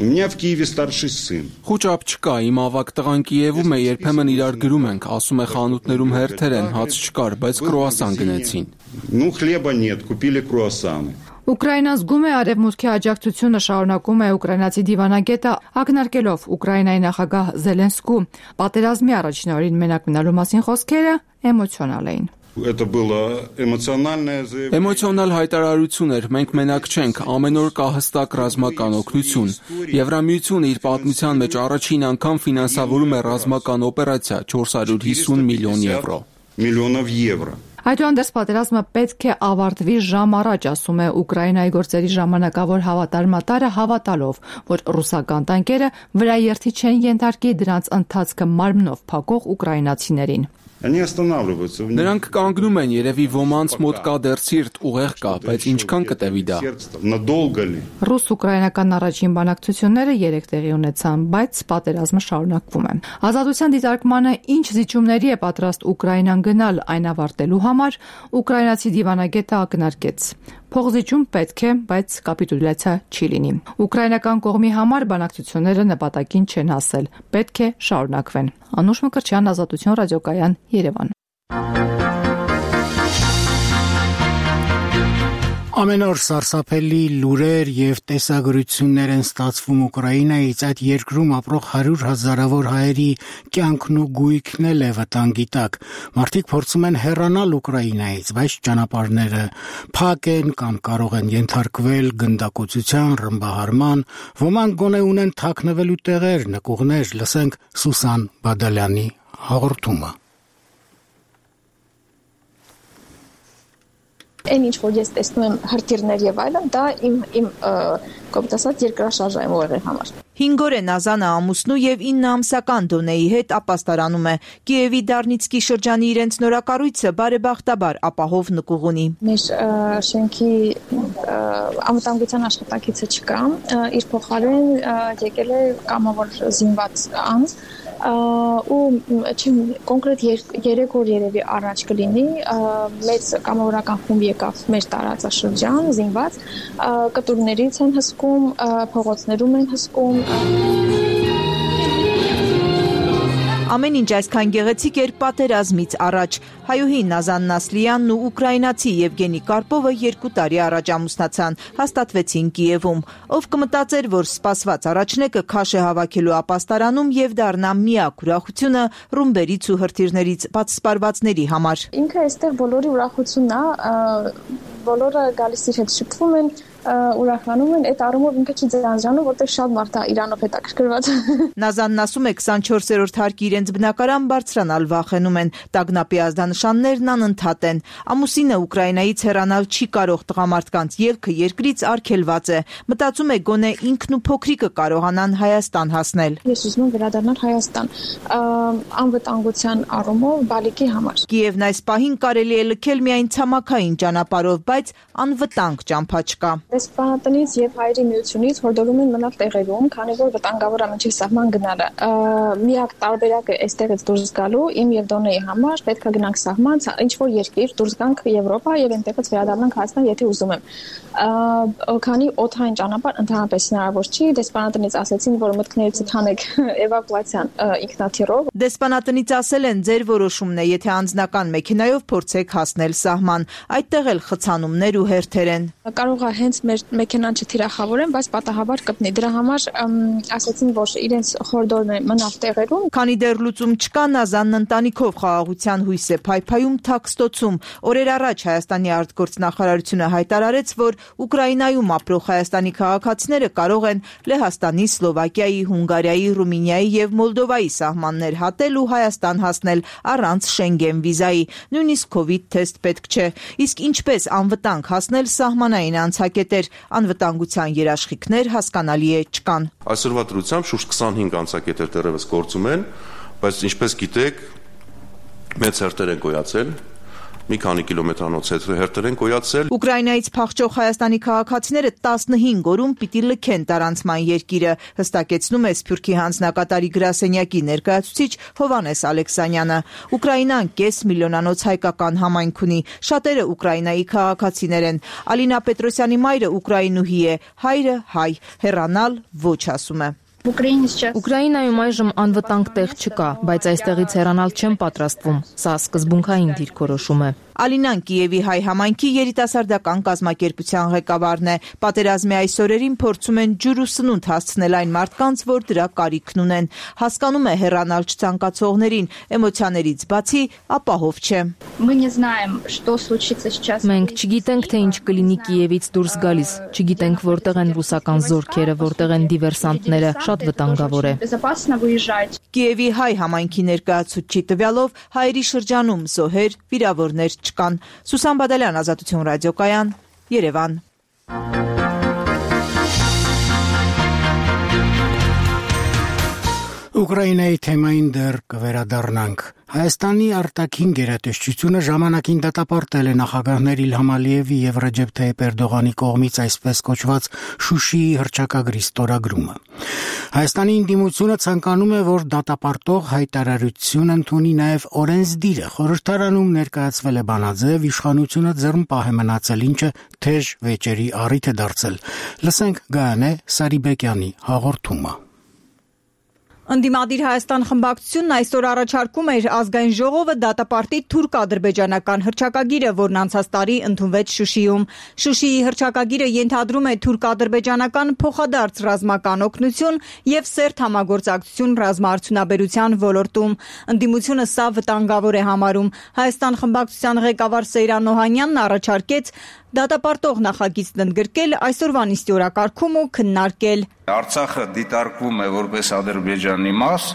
У меня в Киеве старший сын. Խոճապ չկա, իմ ավագ տղան Կիևում է, երբեմն իրար գրում ենք, ասում է խանութներում հերթեր են, հաց չկար, բայց կրուասան գնեցին։ Ну хлеба нет, купили круассаны. Ուկրաինան զգում է արևմուտքի աջակցությունը, շարունակում է ուկրաինացի դիվանագետը, ակնարկելով Ուկրաինայի նախագահ Զելենսկու պատերազմի առաջին օրին մենակ մնալու մասին խոսքերը էմոցիոնալ էին։ Это было эмоциональное заявление. Էմոցիոնալ հայտարարություն էր, մենք մենակ չենք, ամեն օր կա հստակ ռազմական օգնություն։ Եվրամիությունը իր պատմության մեջ առաջին անգամ ֆինանսավորում է ռազմական օպերացիա չորս հարյուր հիսուն միլիոն եվրո։ Միլիոնով եվրո։ Այդուհանդերձ պատերազմը պետք է ավարտվի ժամ առաջ, ասում է Ուկրաինայի գործերի ժամանակավոր հավատարմատարը, հավատալով, որ ռուսական տանկերը վրաերթի չեն ենթարկի դրանց ընթացքը մարմնով փակող ուկրաինացիներին։ Они останавливаются. Նրանք կանգնում են, երևի ոմանց մոտ կա դեռ սիրտ, ուղեղ կա, բայց ինչքան կտևի դա։ Надолго ли? Ռուս-ուկրաինական առաջին բանակցությունները երեք տեղի ունեցան, բայց պատերազմը շարունակվում է։ Ազատության դիտարկմանը ինչ զիջումների է պատրաստ Ուկրաինան գնալ այն ավարտելու համար, ուկրաինացի դիվանագետը ակնարկեց։ Փողզիջում պետք է, բայց կապիտուլյացիա չի լինի։ Ուկրաինական կողմի համար բանակցությունները նպատակին չեն հասել, պետք է շարունակվեն։ Անուշ Մկրտչյան, Ազատություն ռադիոկայան, Երևան։ Ամեն օր սարսափելի լուրեր եւ տեսագրություններ են ստացվում Ուկրաինայից, այդ երկրում ապրող հարյուր հազարավոր հայերի կյանքն ու գույքն էլ է վտանգի տակ։ Մարդիկ փորձում են հեռանալ Ուկրաինայից, բայց ճանապարհները փակ են կամ կարող են ենթարկվել գնդակոծության, ռմբահարման, ոմանք գոնե ունեն թաքնվելու տեղեր, նկուղներ, լսենք Սուսան Բադալյանի հաղորդումը։ Այն ինչ որ ես տեսնում եմ հրթիռներ եւ այլն, դա իմ իմ կոմպուտասած երկրաշարժ է ուղեղի համար։ հինգ օր է Նազանը ամուսնու եւ ինը ամսական Դոնեի հետ ապաստարանում է։ Կիևի Դարնիցկի շրջանի իրենց նորակառույցը բարեբախտաբար ապահով նկուղ ունի։ Մեր շենքի անվտանգության աշխատակիցը չկա, իր փոխարեն եկել է կամավոր զինված անձ, ու չեմ կոնկրետ երեք օր երևի առաջ կլինի մեծ կամավորական խումբ եկավ մեր տարածաշրջան զինված, կտուրներից են հսկում, փողոցներում են հսկում։ Ամեն ինչ այսքան գեղեցիկ էր պատերազմից առաջ։ Հայուհի Նազան Նասլյանն ու ուկրաինացի Եվգենի Կարպովը երկու տարի առաջ ամուսնացան, հաստատվեցին Կիևում։ Ով կմտածեր, որ սպասված առաջնեկը քաշ է հավաքելու ապաստարանում եւ դառնա միակ ուրախությունը ռումբերից ու հրթիռներից պատսպարվածների համար։ Ինքը այստեղ բոլորի ուրախությունն է, բոլորը գալիս իր հետ շփվում են, ուրախանում են, այդ առումով ինքը չի ձանձրանում, որտեղ շատ մարդ է Իրանով հետաքրքրված։ Նազանն ասում է քսանչորսերորդ հարկի իրենց բնակարան բարձրանալ վախենում են, տագնապի ազդանշաններն անընդհատ են։ Ամուսինը Ուկրաինայից հեռանալ չի կարող, տղամարդկանց ելքը երկրից արգելված է։ Մտածում է գոնե ինքն ու փոքրիկը կարողանան Հայաստան հասնել։ Ես ուզում եմ վերադառնալ Հայաստան, անվտանգության առումով բալիկի համար։ Կիևն այս պահին կարելի է լքել միայն ցամաքային ճանապարհով, բայց անվտանգ ճամփա չկա։ Դեսպանատնից եւ հայերի միությունից հորդորում են մնալ տեղերում, քանի որ վտանգավոր է մինչև սահման գնալը։ Միակ տարբերակը այստեղից դուրս գալու իմ եւ Դոնեի համար պետք է գնանք սահման, ինչ որ երկիր, դուրս գանք Եվրոպա եւ այնտեղից վերադառնանք Հայաստան, եթե ուզում եմ։ Քանի օդային ճանապարհ ընդհանրապես հնարավոր չի, դեսպանատնից ասեցին, որ մտքներից թանեք էվակուացիան ինքնաթիռով։ Դեսպանատնից ասել են, ձեր որոշումն է, եթե անձնական մեքենայով փորձեք հասնել սահման, այդտեղ էլ խցանումներ ու հերթեր են։ Կարող է հենց մեր մեքենան չթիրախավորեն, բայց պատահաբար կպնի։ Դրա համար ասեցին, որ իրենց խորհուրդն է մնալ տեղերում։ Քանի դեռ լուծում չկա, Նազանն ընտանիքով խաղաղության հույս է փայփայում Թաքստոցում։ Օրեր առաջ Հայաստանի արտգործնախարարությունը հայտարարեց, որ Ուկրաինայում ապրող հայաստանի քաղաքացիները կարող են Լեհաստանի, Սլովակիայի, Հունգարիայի, Ռումինիայի եւ Մոլդովայի սահմաններ հատել ու Հայաստան հասնել առանց Շենգեն վիզայի։ Նույնիսկ կովիդ թեստ պետք չէ։ Իսկ ինչպես անվտանգ հասնել սահմանային անցակետեր, անվտանգության երաշխիքներ հասկանալի է չկան։ Այսօրվա դրությամբ շուրջ քսանհինգ անցակետեր դեռևս գործում են, բայց ինչպես գիտեք, մեծ հերթեր են գոյացել, մի քանի կիլոմետրանոց հերթեր են գոյացել։ Ուկրաինայից փախչող հայաստանի քաղաքացիները տասնհինգ օրում պիտի լքեն տարանցման երկիրը, հստակեցնում է Սփյուռքի հանձնակատարի գրասենյակի ներկայացուցիչ Հովհաննես Ալեքսանյանը։ Ուկրաինան կես միլիոնանոց հայկական համայնք ունի, շատերը Ուկրաինայի քաղաքացիներ են։ Ալինա Պետրոսյանի մայրը ուկրաինուհի է, հայրը հայ, հեռանալ ոչ ասում է։ Ուկրաինայում այժմ անվտանգ տեղ չկա, բայց այստեղից հեռանալ չեմ պատրաստվում։ Սա սկզբունքային դիրքորոշում է։ Ալինան Կիևի հայ համայնքի երիտասարդական կազմակերպության ղեկավարն է։ Պատերազմի այս օրերին փորձում են ջուր ու սնունդ հասցնել այն մարդկանց, որ դրա կարիքն ունեն։ Հասկանում է հեռանալ չցանկացողներին, էմոցիաներից բացի ապահով չէ։ Մենք չգիտենք, թե ինչ կլինի Կիևից դուրս գալիս, չգիտենք որտեղ են ռուսական զորքերը, որտեղ են դիվերսանտները, շատ վտանգավոր է։ Կիևի հայ համայնքի ներկայացուցչի տվյալով հայերի շրջանում զոհեր, վիրավորներ չկան։ Սուսան Բադալյան, Ազատություն ռադիոկայան, Երևան։ Ուկրաինայի թեմային դեռ կվերադառնանք։ Հայաստանի արտաքին գերատեսչությունը ժամանակին դատապարտել է նախագահներ Իլհամ Ալիևի եւ Ռեջեփ Թայիփ Էրդողանի կողմից այսպես կոչված Շուշիի հռչակագրի ստորագրումը։ Հայաստանի ընդդիմությունը ցանկանում է, որ դատապարտող հայտարարություն ընդունի նաեւ օրենսդիրը։ Խորհրդարանում ներկայացվել է բանաձև, իշխանությունը ձեռնպահ է մնացել, ինչը թեժ վեճերի առիթ է դարձել։ Լսենք Գայանե Սարիբեկյանի հաղորդումը։ Ընդդիմադիր Հայաստան խմբակցությունն այսօր առաջարկում էր ազգային ժողովը դատապարտի թուրք-ադրբեջանական հռչակագիրը, որն անցած տարի ընդունվեց Շուշիում։ Շուշիի հռչակագիրը ենթադրում է թուրք-ադրբեջանական փոխադարձ ռազմական օգնություն եւ սերտ համագործակցություն ռազմաարդյունաբերության ոլորտում։ Ընդդիմությունը սա վտանգավոր է համարում։ Հայաստան խմբակցության ղեկավար Սեյրան Օհանյանն առաջարկեց դատապարտող նախագիծն ընդգրկել այսօրվա նիստի օրակարգում ու քննարկել։ Արցախը դիտարկվում է որպես Ադրբեջանի մաս,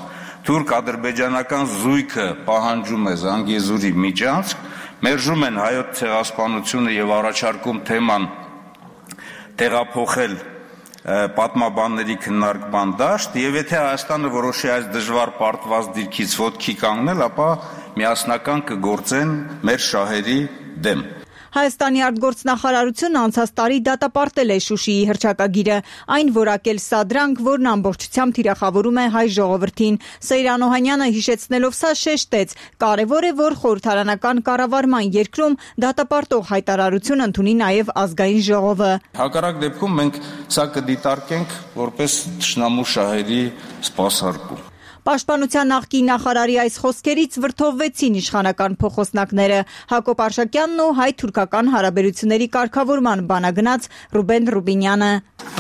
թուրք-ադրբեջանական զույգը պահանջում է Զանգեզուրի միջանցք, մերժում են հայոց ցեղասպանությունը եւ առաջարկում թեման տեղափոխել պատմաբանների քննարկման դաշտ, եւ եթե Հայաստանը որոշի այս դժվար պարտված դիրքից ոտքի կանգնել, ապա միասնական կգործեն մեր շահերի դեմ։ Հայաստանի արտգործնախարարությունը անցած տարի դատապարտել է Շուշիի հռչակագիրը, այն որակել սադրանք, որն ամբողջությամբ թիրախավորում է հայ ժողովրդին։ Սեյրան Օհանյանը հիշեցնելով սա շեշտեց. կարևոր է, որ խորհրդարանական կառավարման երկրում դատապարտող հայտարարություն ընդունի նաև ազգային ժողովը։ Հակառակ դեպքում մենք սա կդիտարկենք որպես թշնամու շահերի սպասարկում։ Պաշտպանության նախկին նախարարի այս խոսքերից վրդովվեցին իշխանական փոխոսնակները։ Հակոբ Արշակյանն ու հայ-թուրքական հարաբերությունների կարգավորման բանագնաց Ռուբեն Ռուբինյանը։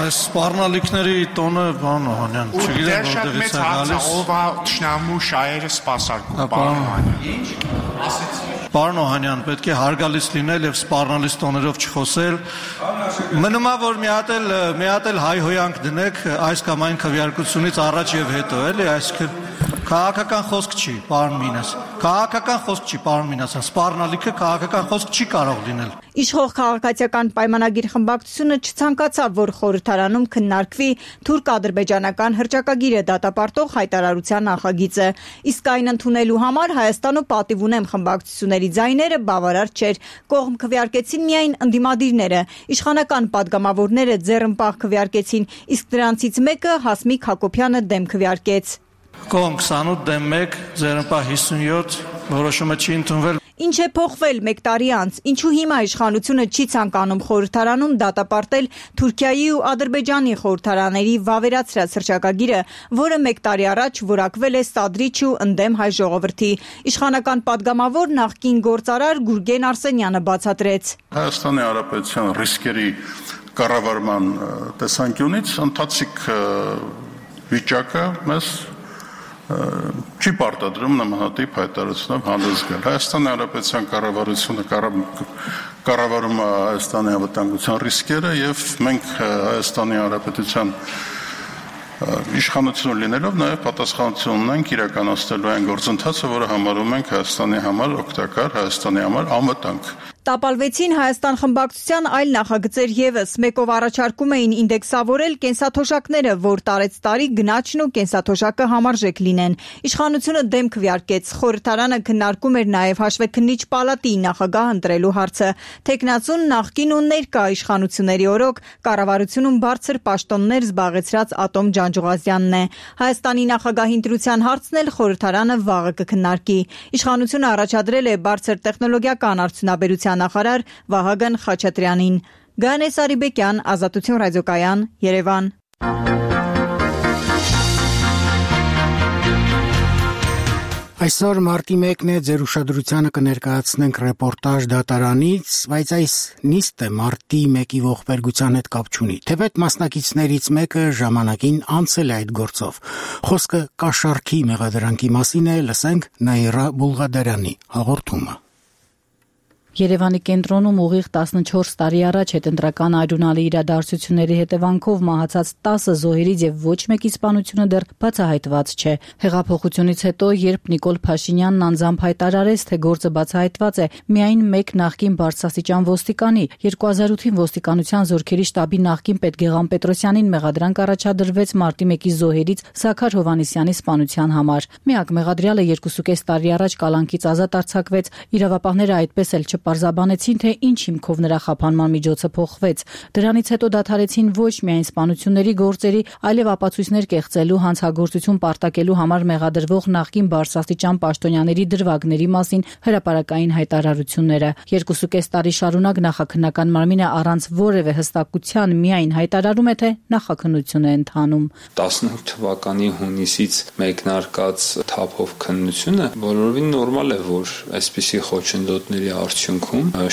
Այս սպառնալիքների տոնը բան Օհանյան, չգիտեմ որտեղից է գալիս։ Ով է թշնամու շահերը սպասարկում, պարոն Օհանյան։ Պարոն Օհանյան, պետք է հարգալից լինել եւ սպառնալից տոներով չխոսել։ Մնում է որ մի հատ էլ մի հատ էլ հայհոյանք դնեք այս կամ այն քվեարկությունից առաջ եւ հետո, էլի, այսինքն քաղաքական խոսք չի, պարոն Մինաս։ քաղաքական խոսք չի, պարոն Մինասյան, սպառնալիքը քաղաքական խոսք չի կարող լինել։ Իշխող քաղաքացիական պայմանագիր խմբակցությունը չցանկացավ, որ խորհրդարանում քննարկվի թուրք-ադրբեջանական հռչակագիրը դատապարտող հայտարարության նախագիծը։ Իսկ այն ընդունելու համար Հայաստանու պատիվ ունեմ խմբակցությունների ձայները բավարար չէր։ Կողմ քվեարկեցին միայն ընդդիմադիրները։ Իշխանական պատգամավորները ձեռնպահ քվեարկեցին, իսկ դրանցից մեկը Հասմիկ Հակոբյանը դեմ քվեարկեց։ Կողմ քսանութ դեմ մեկ, ձեռնպահ հիսունյոթ, որոշումը չի ընդունվել։ Ինչ է փոխվել մեկ տարի անց, ինչու հիմա իշխանությունը չի ցանկանում խորհրդարանում դատապարտել Թուրքիայի ու Ադրբեջանի խորհրդարաների վավերացրած հռչակագիրը, որը մեկ տարի առաջ որակվել է սադրիչ ու ընդդեմ հայ ժողովրդի։ Իշխանական պատգամավոր նախկին գործարար Գուրգեն Արսենյանը բացատրեց։ Հայաստանի Հանրապետության ռիսկերի կառավարման տեսանկյունից ընթացիկ վիճակը մեզ չի պարտադրում նմանատիպ հայտարարությունով հանդես գալ։ Հայաստանի Հանրապետության կառավարությունը կառավարում է Հայաստանի անվտանգության ռիսկերը եւ մենք Հայաստանի Հանրապետության իշխանություն լինելով նաև պատասխանատվություն ունենք իրականացնելու այն գործընթացը, որը համարում ենք Հայաստանի համար օգտակար, Հայաստանի համար անվտանգ։ Տապալվեցին Հայաստան խմբակցության այլ նախագծեր եւս, մեկով առաջարկում էին ինդեքսավորել կենսաթոշակները, որ տարեց տարի գնաճն ու կենսաթոշակը համարժեք լինեն։ Իշխանությունը դեմ քվեարկեց, խորհրդարանը քննարկում էր նաև հաշվեկնիչ պալատի նախագահ ընտրելու հարցը։ Թեկնածուն նախկին ու ներկա իշխանությունների օրոք կառավարությունում բարձր պաշտոններ զբաղեցրած Ատոմ Ջանջուղազյանն է։ Հայաստանի նախագահի ընտրության հարցն էլ խորհրդարանը վաղը կքննարկի։ Իշխանությունը առաջադրել է բարձր տեխնոլոգիական արդյունաբերության նախարար Վահագն Խաչատրյանին։ Գանե Սարիբեկյան, Ազատություն ռադիոկայան, Երևան։ Այսօր մարտի մեկն է, ձեր ուշադրությանը կներկայացնենք ռեպորտաժ դատարանից, բայց այս նիստը մարտի մեկի ողբերգության հետ կապ չունի։ Թեպետ մասնակիցներից մեկը ժամանակին անցել է այդ գործով։ Խոսքը կաշառքի մեղադրանքի մասին է, լսենք Նաիրա Բուլղադարյանի հաղորդումը։ Երևանի կենտրոնում ուղիղ տասնչորս տարի առաջ հետընտրական արյունալի իրադարձությունների հետևանքով մահացած տասը զոհերից եւ ոչ մեկի սպանությունը դեռ բացահայտված չէ։ Հեղափոխությունից հետո, երբ Նիկոլ Փաշինյանն անձամբ հայտարարեց, թե գործը բացահայտված է, միայն մեկ նախկին բարձրաստիճան ոստիկանի, երկու հազար ութին ոստիկանության զորքերի շտաբի նախկին պետ Գեղամ Պետրոսյանին մեղադրանք առաջադրվեց մարտի մեկի զոհերից Զաքար Հովհաննիսյանի սպանության համար։ Միակ մեղադրյալը երկուսուկես տարի առաջ կալանքից ազատ արձակվեց, իրավապահները այդպես էլ պարզաբանեցին, թե ինչ հիմքով նրա խափանման միջոցը փոխվեց։ Դրանից հետո դադարեցին ոչ միայն սպանությունների գործերի, այլև ապացույցներ կեղծելու, հանցագործություն պարտակելու համար մեղադրվող նախկին բարձրաստիճան պաշտոնյաների դրվագների մասին հրապարակային հայտարարությունները։ Երկուսուկես տարի շարունակ նախաքննական մարմինը առանց որևէ հստակության միայն հայտարարում է, թե նախաքննություն է ընթանում։ տասնութ թվականի հունիսից մեկնարկած թափով քննությունը բոլորովին նորմալ է, որ այսպիսի խոչընդոտների արդյունքում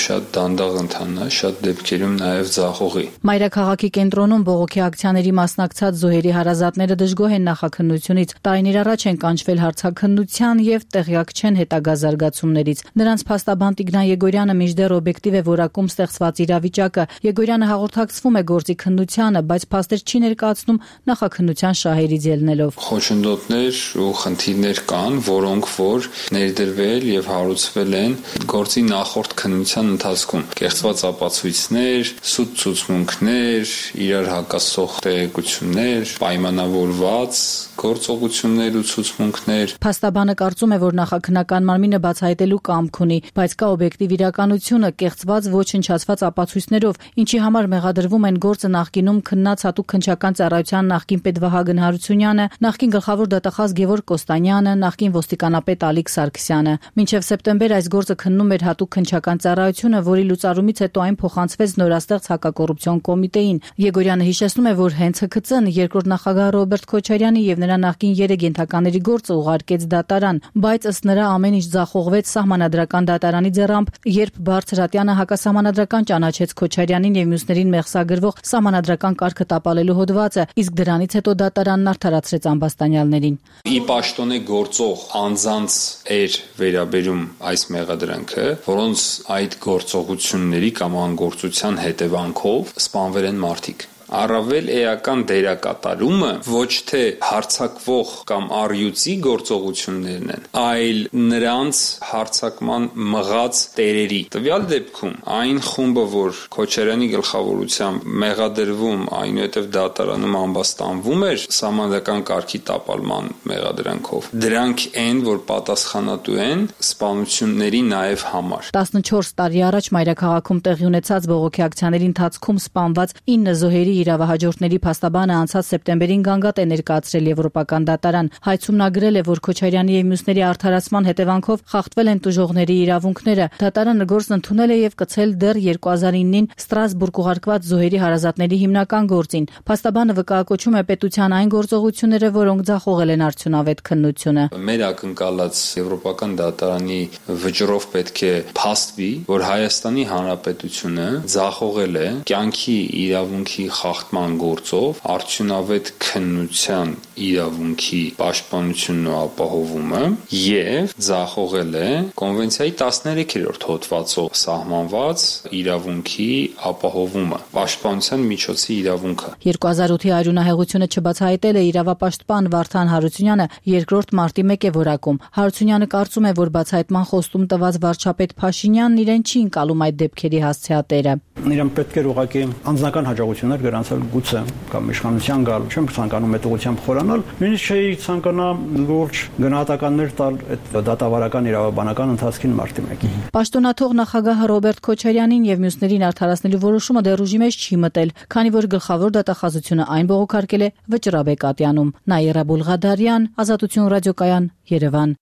շատ դանդաղ ընթանա, շատ դեպքերում նաև ձախողի։ Մայրաքաղաքի կենտրոնում բողոքի ակցիաների մասնակցած զոհերի հարազատները դժգոհ են նախաքննությունից, տարիներ առաջ են կանչվել հարցաքննության եւ տեղյակ չեն հետագա զարգացումներից։ Նրանց փաստաբան Տիգրան Եգորյանը մինչդեռ օբյեկտիվ է որակում ստեղծված իրավիճակը։ Եգորյանը հաղորդակցվում է գործի քննությանը, բայց փաստեր չի ներկայացնում նախաքննության շահերից ելնելով։ Խոչընդոտներ ու խնդիրներ կան, որոնք որ ներդրվել եւ հարուցվել են գործի նախորդ քննության ընթացքում։ Կեղծված ապացույցներ, սուտ ցուցմունքներ, իրար հակասող տեղեկություններ, պայմանավորված գործողություններ ու ցուցմունքներ։ Փաստաբանը կարծում է, որ նախաքննական մարմինը բացահայտելու կամք ունի, բայց կա օբյեկտիվ իրականությունը, կեղծված ոչնչացված ապացույցներով, ինչի համար մեղադրվում են գործը նախկինում քննած հատուկ քննչական ծառայության նախկին պետ Վահագն Հարությունյանը, նախկին գլխավոր դատախազ Գևորգ Կոստանյանը, նախկին ոստիկանապետ Ալիկ Սարգսյանը։ Մինչև սեպտեմբեր այս գործը քննում էր հատուկ քննչական ծառայությունը, որի լուծարումից հետո այն փոխանցվեց նորաստեղծ հակակոռուպցիոն կոմիտեին։ Եգորյանը հիշեցնում է, որ հենց Հ K Ց-ն երկրորդ նախագահ Ռոբերտ Քոչարյանի եւ նրա նախկին երեք ենթակաների գործը ուղարկեց դատարան, բայց ըստ նրա ամեն ինչ ձախողվեց սահմանադրական դատարանի ձեռամբ, երբ Բարձրատյանը հակասահմանադրական ճանաչեց Քոչարյանին եւ մյուսներին մեղսագրվող սահմանադրական կարգը տապալելու հոդվածը, իսկ դրանից հետո դատարանն արդարացրեց ամբաստանյալներին։ Ի պաշտոնե գործող անձանց էր վերաբերում այս մեղադրանքը, որոնց այդ գործողությունների կամ անգործության հետևանքով սպանվել են մարդիկ։ առավել էական դերակատարումը ոչ թե հարձակվող կամ առյուծի գործողություններն են, այլ նրանց հարձակման մղած տերերի։ Տվյալ դեպքում այն խումբը, որ Քոչարյանի գլխավորությամբ մեղադրվում, այնուհետև դատարանում ամբաստանվում էր սահմանադրական կարգի տապալման մեղադրանքով, դրանք են, որ պատասխանատու են սպանությունների նաև համար։ տասնչորս տարի առաջ մայրաքաղաքում տեղի ունեցած բողոքի ակցիաների ընթացքում սպանված ինը զոհերի իրավահաջորդների փաստաբանը անցած սեպտեմբերին գանգատ է ներկայացրել Եվրոպական դատարան։ Հայցում նա գրել է, որ Քոչարյանի եւ մյուսների արդարացման հետևանքով խախտվել են տուժողների իրավունքները։ Դատարանը գործն ընդունել է եւ կցել դեռ երկու հազար իննին Ստրասբուրգ ուղարկված զոհերի հարազատների հիմնական գործին։ Փաստաբանը վկայակոչում է պետության այն գործողությունները, որոնք ձախողել են արդյունավետ քննությունը։ Մեր ակնկալած Եվրոպական դատարանի վճռով պետք է փաստվի, որ Հայաստանի Հանրապետությունը ձախողել է կյանքի իրավունքի խախտման գործով արդյունավետ քննության իրավունքի պաշտպանությունն ու ապահովումը եւ ձախողել է կոնվենցիայի տասներեքերորդ հոդվածով սահմանված իրավունքի ապահովումը, պաշտպանության միջոցի իրավունքը։ երկու հազար ութի արյունահեղությունը չբացահայտել է իրավապաշտպան Վարդան Հարությունյանը երկրորդ մարտի մեկ է որակում։ Հարությունյանը կարծում է, որ բացահայտման խոստում տված վարչապետ Փաշինյանն իրեն չի ընկալում այդ դեպքերի հասցեատերը։ Իրեն պետք է ուղղակի անձնական հաջողություններ գրանցել գուցե կամ իշխանության գալ, չեմ ցանկանում այդ ուղղությամբ խորանալ, նույնիսկ չի ցանկանա լուրջ գնահատականներ տալ այդ դատավարական իրավաբանական ընթացքին մարտի մեկին։ Պաշտոնաթող նախագահ Ռոբերտ Քոչարյանին եւ մյուսներին արդարացնելու որոշումը դեռ ուժի մեջ չի մտել, քանի որ գլխավոր դատախազությունը այն բողոքարկել է Վճռաբեկ Ատյանում։ Նաիրա Բուլղադարյան, Ազատություն ռադիոկայան, Երևան։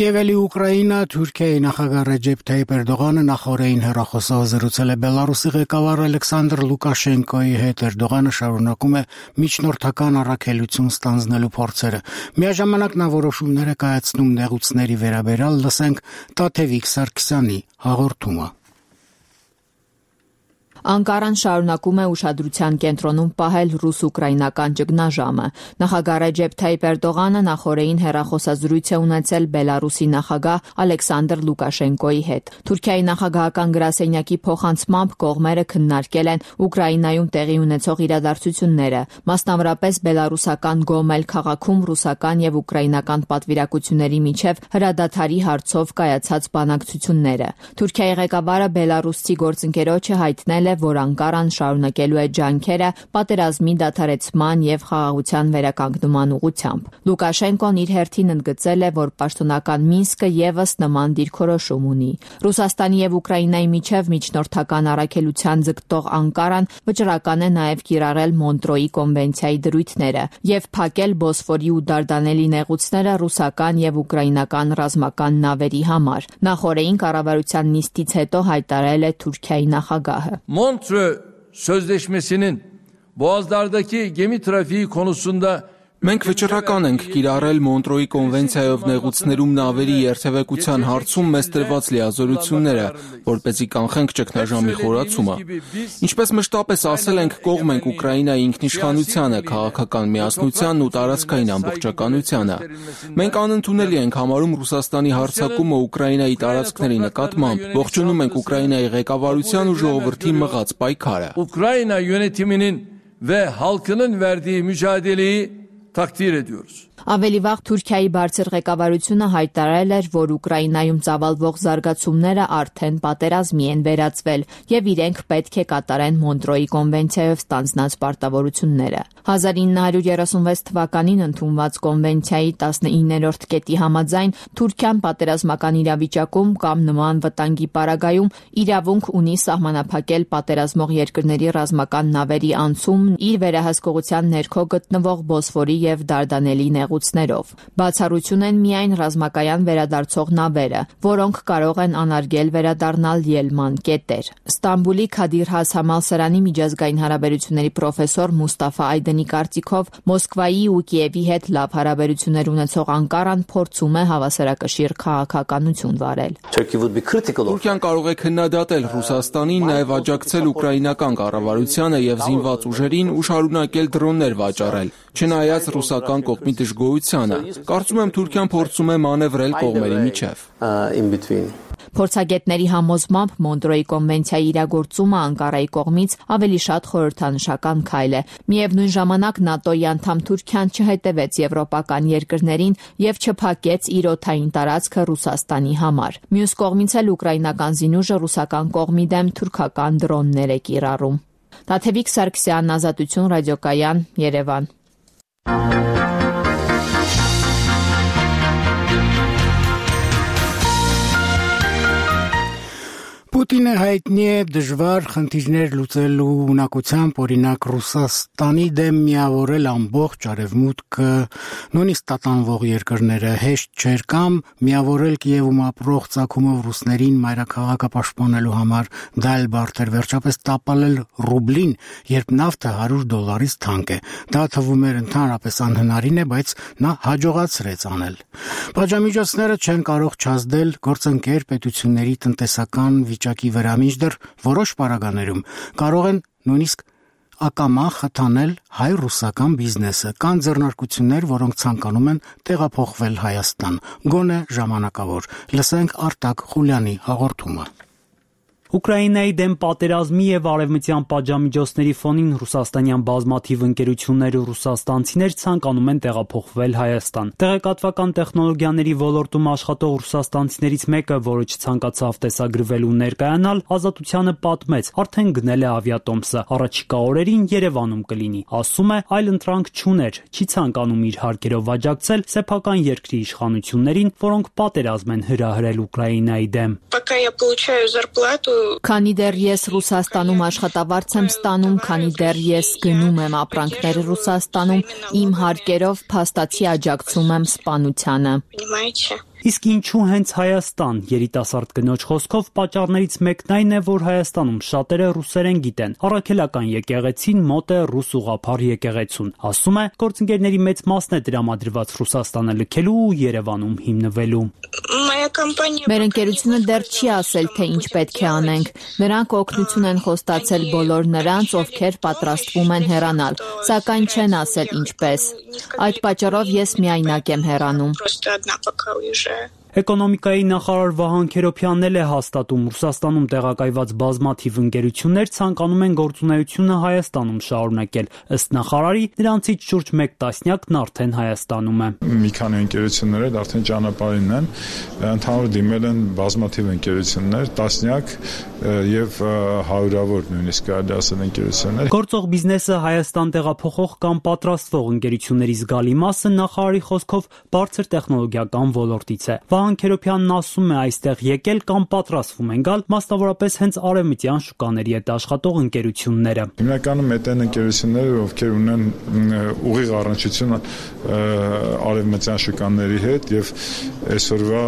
Եվ էլի Ուկրաինա, Թուրքիայի նախագահ Ռեջեփ Թայիփ Էրդողանը նախորդին հեռախոսով զրուցել է Բելարուսի ղեկավար Ալեքսանդր Լուկաշենկոյի հետ։ Էրդողանը շարունակում է միջնորդական առաքելություն ստանձնելու փորձերը։ Միաժամանակ նա որոշումներ է կայացնում նեղուցների վերաբերյալ, լսենք Տաթևիկ Սարգսյանի հաղորդումը։ Անկարան շարունակում է ուշադրության կենտրոնում պահել ռուս-ուկրաինական ճգնաժամը։ Նախագահ Ռեջեփ Թայիփ Էրդողանը նախորդին հեռախոսազրույց է ունեցել Բելարուսի նախագահ Ալեքսանդր Լուկաշենկոյի հետ։ Թուրքիայի նախագահական գրասենյակի փոխանցմամբ կողմերը քննարկել են Ուկրաինայում տեղի ունեցող իրադարձությունները, մասնավորապես բելարուսական Գոմել քաղաքում ռուսական եւ ուկրաինական պատվիրակությունների միջև հրադադարի հարցով կայացած բանակցությունները։ Թուրքիայի ղեկավարը բելարուսցի գործընկերոջը հայտնել որ Անկարան շարունակելու է ջանքերը պատերազմի դադարեցման եւ խաղաղության վերականգնման ուղղությամբ։ Լուկաշենկոն իր հերթին ընդգծել է, որ պաշտոնական Մինսկը եւս նման դիրքորոշում ունի։ Ռուսաստանի եւ Ուկրաինայի միջև միջնորդական առաքելության ձգտող Անկարան վճռական է նաեւ կիրառել Մոնտրոյի կոնվենցիայի դրույթները եւ փակել Բոսֆորի ու Դարդանելի նեղուցները ռուսական եւ ուկրաինական ռազմական նավերի համար։ Նախորդին կառավարության նիստից հետո հայտարարել է Թուրքիայի նախագահը։ Montreux Sözleşmesi'nin boğazlardaki gemi trafiği konusunda Մենք վճռական ենք կիրառել Մոնտրոյի կոնվենցիայով նեղուցներում նավերի երթևեկության հարցում մեզ տրված լիազորությունները, որպեսզի կանխենք ճգնաժամի խորացումը։ Ինչպես մշտապես ասել ենք, կողմ ենք Ուկրաինայի ինքնիշխանությանը, քաղաքական միասնությանն ու տարածքային ամբողջականությանը։ Մենք անընդունելի ենք համարում Ռուսաստանի հարձակումը Ուկրաինայի տարածքների նկատմամբ, ողջունում ենք Ուկրաինայի ղեկավարության ու ժողովրդի մղած պայքարը։ Ukrayna yönetiminin ve halkının verdiği mücadeleyi takdir ediyoruz. Ավելի վաղ Թուրքիայի բարձր ղեկավարությունը հայտարարել էր, որ Ուկրաինայում ծավալվող զարգացումները արդեն պատերազմի են վերածվել եւ իրենք պետք է կատարեն Մոնտրոյի կոնվենցիայով ստանձնած պարտավորությունները։ հազար ինը հարյուր երեսունվեց թվականին ընդունված կոնվենցիայի տասնիններորդ կետի համաձայն Թուրքիան պատերազմական իրավիճակում կամ նման վտանգի պարագայում իրավունք ունի սահմանափակել պատերազմող երկրների ռազմական նավերի անցումն իր վերահսկողության ներքո գտնվող Բոսֆորի եւ Դարդանելի նեղուցներով։ Բացառություն են միայն ռազմակայան վերադարձող նավերը, որոնք կարող են անարգել վերադառնալ ելման կետեր։ Ստամբուլի Քադիր Has համալսարանի միջազգային հարաբերությունների պրոֆեսոր Մուստաֆա Այդենի կարծիքով Մոսկվայի ու Կիևի հետ լավ հարաբերություններ ունեցող Անկարան փորձում է հավասարակշիռ քաղաքականություն վարել։ Թուրքիան կարող է քննադատել Ռուսաստանին, նաև աջակցել ուկրաինական կառավարությանը եւ զինված ուժերին ու շարունակել դրոններ վաճառել, չնայած ռուսական կողմի դժգոհությանը։ Կարծում եմ Թուրքիան փորձում է մանևրել կողմերի միջև։ Փորձագետների համոզմամբ Մոնտրոյի կոնվենցիայի իրագործումը Անկարայի կողմից ավելի շատ խորհրդանշական քայլ է։ Միևնույն ժամանակ ՆԱՏՕ-ի անդամ Թուրքիան չհետևեց եվրոպական երկրներին եւ չփակեց իր օդային տարածքը Ռուսաստանի համար։ Մյուս կողմից էլ ուկրաինական զինուժը ռուսական կողմի դեմ թուրքական դրոններ է կիրառում։ Տաթևիկ Սարգսյան, Ազատություն ռադիոկայան, Երևան։ Պուտինը հայտնի է դժվար խնդիրներ լուծելու ունակությամբ, օրինակ Ռուսաստանի դեմ միավորել ամբողջ արևմուտքը, նույնիսկ տատանվող երկրները հեշտ չէր, կամ միավորել Կիևում ապրող ծագումով ռուսներին մայրաքաղաքը պաշտպանելու համար, դա էլ բարդ էր, վերջապես տապալել ռուբլին, երբ նավթը հարյուր դոլարից թանկ է։ Դա թվում էր ընդհանրապես անհնարին է, բայց նա հաջողացրեց անել։ Պատժամիջոցները չեն կարող չազդել գործընկեր պետությունների տնտեսական վիճակի վրա, մինչդեռ որոշ պարագաներում կարող են նույնիսկ ակամա խթանել հայ-ռուսական բիզնեսը։ Կան ձեռնարկություններ, որոնք ցանկանում են տեղափոխվել Հայաստան, գոնե ժամանակավոր։ Լսենք Արտակ Խուլյանի հաղորդումը։ Ուկրաինայի դեմ պատերազմի եւ արևմտյան պատժամիջոցների ֆոնին ռուսաստանյան բազմաթիվ ընկերություններ ու ռուսաստանցիներ ցանկանում են տեղափոխվել Հայաստան։ Տեղեկատվական տեխնոլոգիաների ոլորտում աշխատող ռուսաստանցիներից մեկը, որը չցանկացավ տեսագրվել ու ներկայանալ, Ազատությանը պատմեց, արդեն գնել է ավիատոմսը, առաջիկա օրերին Երևանում կլինի։ Ասում է, այլ ընտրանք չուներ, չի ցանկանում իր հարկերով աջակցել սեփական երկրի իշխանություններին, որոնք պատերազմ են հրահրել Ուկրաինայի դեմ։ Քանի դեռ ես Ռուսաստանում աշխատավարձ եմ ստանում, քանի դեռ ես գնում եմ ապրանքներ Ռուսաստանում, իմ հարկերով փաստացի աջակցում եմ սպանությանը։ Իսկ ինչու հենց Հայաստան, երիտասարդ կնոջ խոսքով պատճառներից մեկն այն է, որ Հայաստանում շատերը ռուսերեն գիտեն։ Առաքելական եկեղեցին մոտ է ռուս ուղղափառ եկեղեցուն։ Ասում է, գործընկերների մեծ մասն է տրամադրված Ռուսաստանը լքելու ու Երևանում հիմնվելու։ Մեր ընկերությունը դեռ չի ասել, թե ինչ պետք է անենք։ Նրանք օգնություն են խոստացել բոլոր նրանց, ովքեր պատրաստվում են հեռանալ, սակայն չեն ասել ինչպես։ Այդ պատճառով ես միայնակ եմ հեռանում։ Էկոնոմիկայի նախարար Վահան Քերոփյանն էլ է հաստատում, Ռուսաստանում տեղակայված բազմաթիվ ընկերություններ ցանկանում են գործունեությունը Հայաստանում շարունակել։ Ըստ նախարարի, նրանցից շուրջ մեկ տասնյակն արդեն Հայաստանում է։ Մի քանի ընկերություններ էլ արդեն ճանապարհին են, ընդհանուր դիմել են բազմաթիվ ընկերություններ, տասնյակ եւ հարյուրավոր նույնիսկ կարելի ասել ընկերություններ։ Գործող բիզնեսը Հայաստան տեղափոխող կամ պատրաստվող ընկերությունների զգալի մասը նախարարի խոսքով բարձր տեխնոլոգիական ոլորտից է։ Վահան Քերոփյանն ասում է, այստեղ եկել կամ պատրաստվում են գալ մասնավորապես հենց արևմտյան շուկաների հետ աշխատող ընկերությունները։ Հիմնականում այդ են ընկերությունները, ովքեր ունեն ուղիղ առնչություն արևմտյան շուկաների հետ եւ այսօրվա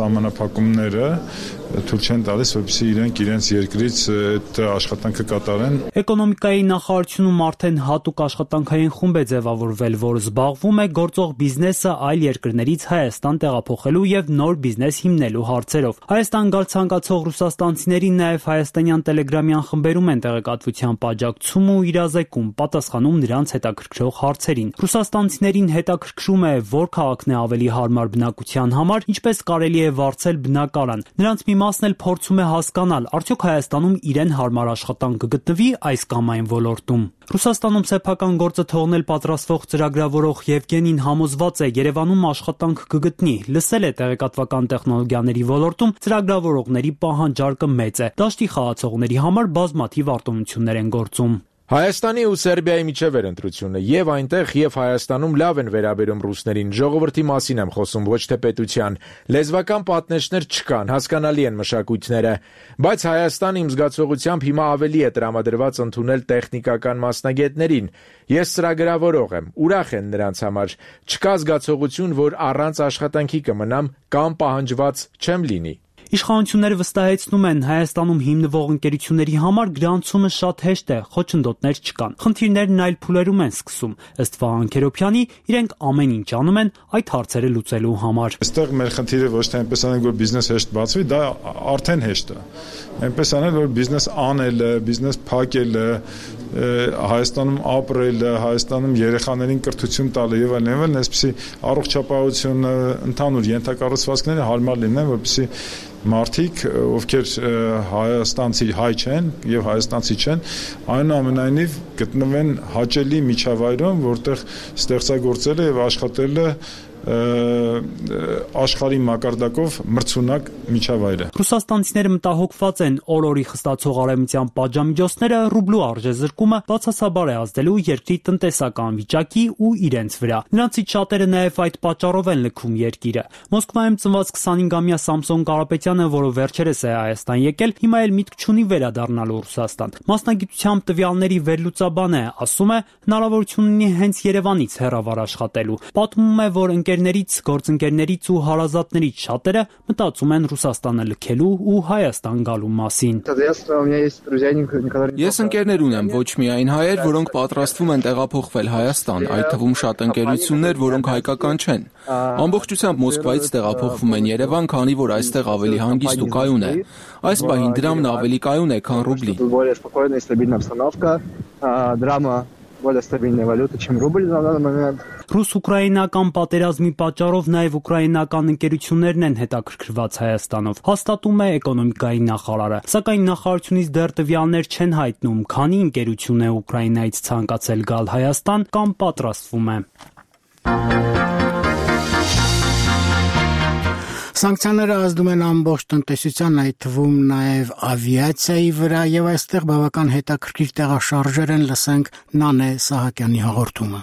սահմանափակումները թույլ չեն տալիս, որպեսզի իրենք իրենց երկրից այդ աշխատանքը կատարեն։ Էկոնոմիկայի նախարարությունում արդեն հատուկ աշխատանքային խումբ է ձևավորվել, որը զբաղվում է գործող բիզնեսը այլ երկրներից Հայաստան տեղափոխելու եւ նոր բիզնես հիմնելու հարցերով։ Հայաստան գալ ցանկացող ռուսաստանցիներին նաեւ հայաստանյան տելեգրամյան խմբերում են տեղեկատվության աջակցում ու իրազեկում, պատասխանում նրանց հետաքրքրող հարցերին։ Ռուսաստանցիներին հետաքրքրում է, որ քաղաքն է ավելի հարմար բնակության համար, ինչպես կարելի է վարձել բնակարան։ Նրանց մի մասն էլ փորձում է հասկանալ, արդյոք Հայաստանում իրեն հարմար աշխատանք կգտնվի այս կամ այն ոլորտում։ Ռուսաստանում սեփական գործը թողնել պատրաստվող ծրագրավորող Եվգենին համոզված է, Երևանում աշխատանք կգտնի։ Լսել է տեղեկատվական տեխնոլոգիաների ոլորտում ծրագրավորողների պահանջարկը մեծ է։ Դաշտի խաղացողների համար բազմաթիվ արտոնություններ են գործում։ Հայաստանի ու Սերբիայի միջև էր ընտրությունը, եւ այնտեղ եւ Հայաստանում լավ են վերաբերում ռուսներին, ժողովրդի մասին եմ խոսում, ոչ թե պետության, լեզվական պատնեշներ չկան, հասկանալի են մշակույթները, բայց Հայաստանը իմ զգացողությամբ հիմա ավելի է տրամադրված ընդունել տեխնիկական մասնագետներին, ես ծրագրավորող եմ, ուրախ են նրանց համար, չկա զգացողություն, որ առանց աշխատանքի կմնամ կամ պահանջված չեմ լինի։ Իշխանությունները վստահեցնում են, Հայաստանում հիմնվող ընկերությունների համար գրանցումը շատ հեշտ է, խոչընդոտներ չկան։ Խնդիրներն այլ փուլերում են սկսում։ Ըստ Վահան Քերոբյանի, իրենք ամեն ինչ անում են այդ հարցերը լուծելու համար։ Այստեղ մեր խնդիրը ոչ թե այնպես անել, որ բիզնես հեշտ բացվի, դա արդեն հեշտ է։ Այնպես անել, որ բիզնես անելը, բիզնես փակելը, Հայաստանում ապրելը, Հայաստանում երեխաներին կրթություն տալը եւ այլն, եւ այլն, այսպեսի առողջապահությունը, ընդհանուր ենթակառուցվածքները հարմար լինեն, որպեսզի մարդիկ, ովքեր հայաստանցի հայ չեն եւ հայաստանցի չեն, այնուամենայնիվ գտնվեն հաճելի միջավայրում, որտեղ ստեղծագործելը եւ աշխատելը աշխարհի մակարդակով մրցունակ միջավայր է։ Ռուսաստանցիները մտահոգված են օր-օրի խստացող արևմտյան պատժամիջոցները ռուբլու արժեզրկումը բացասաբար է ազդելու երկրի տնտեսական վիճակի ու իրենց վրա։ Նրանցից շատերը նաև այդ պատճառով են լքում երկիրը։ Մոսկվայում ծնված քսանհինգամյա Սամսոն Կարապետյանը, որը վերջերս է Հայաստան եկել, հիմա էլ միտք չունի վերադառնալու Ռուսաստան։ Մասնագիտությամբ տվյալների վերլուծաբան է, ասում է, հնարավորություն ունի հենց Երևանից հեռավար աշխատելու։ Պատմում է, որ ընկերներից, գործընկերներից ու հարազատներից շատերը մտածում են Ռուսաստանը լքելու ու Հայաստան գալու մասին։ Ես ընկերներ ունեմ, ոչ միայն հայեր, որոնք պատրաստվում են տեղափոխվել Հայաստան, այդ թվում շատ ընկերություններ, որոնք հայկական չեն։ Ամբողջությամբ Մոսկվայից տեղափոխվում են Երևան, քանի որ այստեղ ավելի հանգիստ ու կայուն է։ Այս պահին դրամն ավելի կայուն է, քան ռուբլի։ более стабильная валюта, чем рубль на данный момент. Ռուս-ուկրաինական պատերազմի պատճառով նաև ուկրաինական ընկերություններն են հետաքրքրված Հայաստանով, հաստատում է էկոնոմիկայի նախարարը։ Սակայն նախարարությունից դեռ տվյալներ չեն հայտնում, քանի ընկերություն է Ուկրաինայից ցանկացել գալ Հայաստան կամ պատրաստվում է։ Սանկցիաները ազդում են ամբողջ տնտեսության, այդ թվում նաև ավիացիայի վրա, եւ այստեղ բավական հետաքրքիր տեղաշարժեր են, լսենք Նանե Սահակյանի հաղորդումը։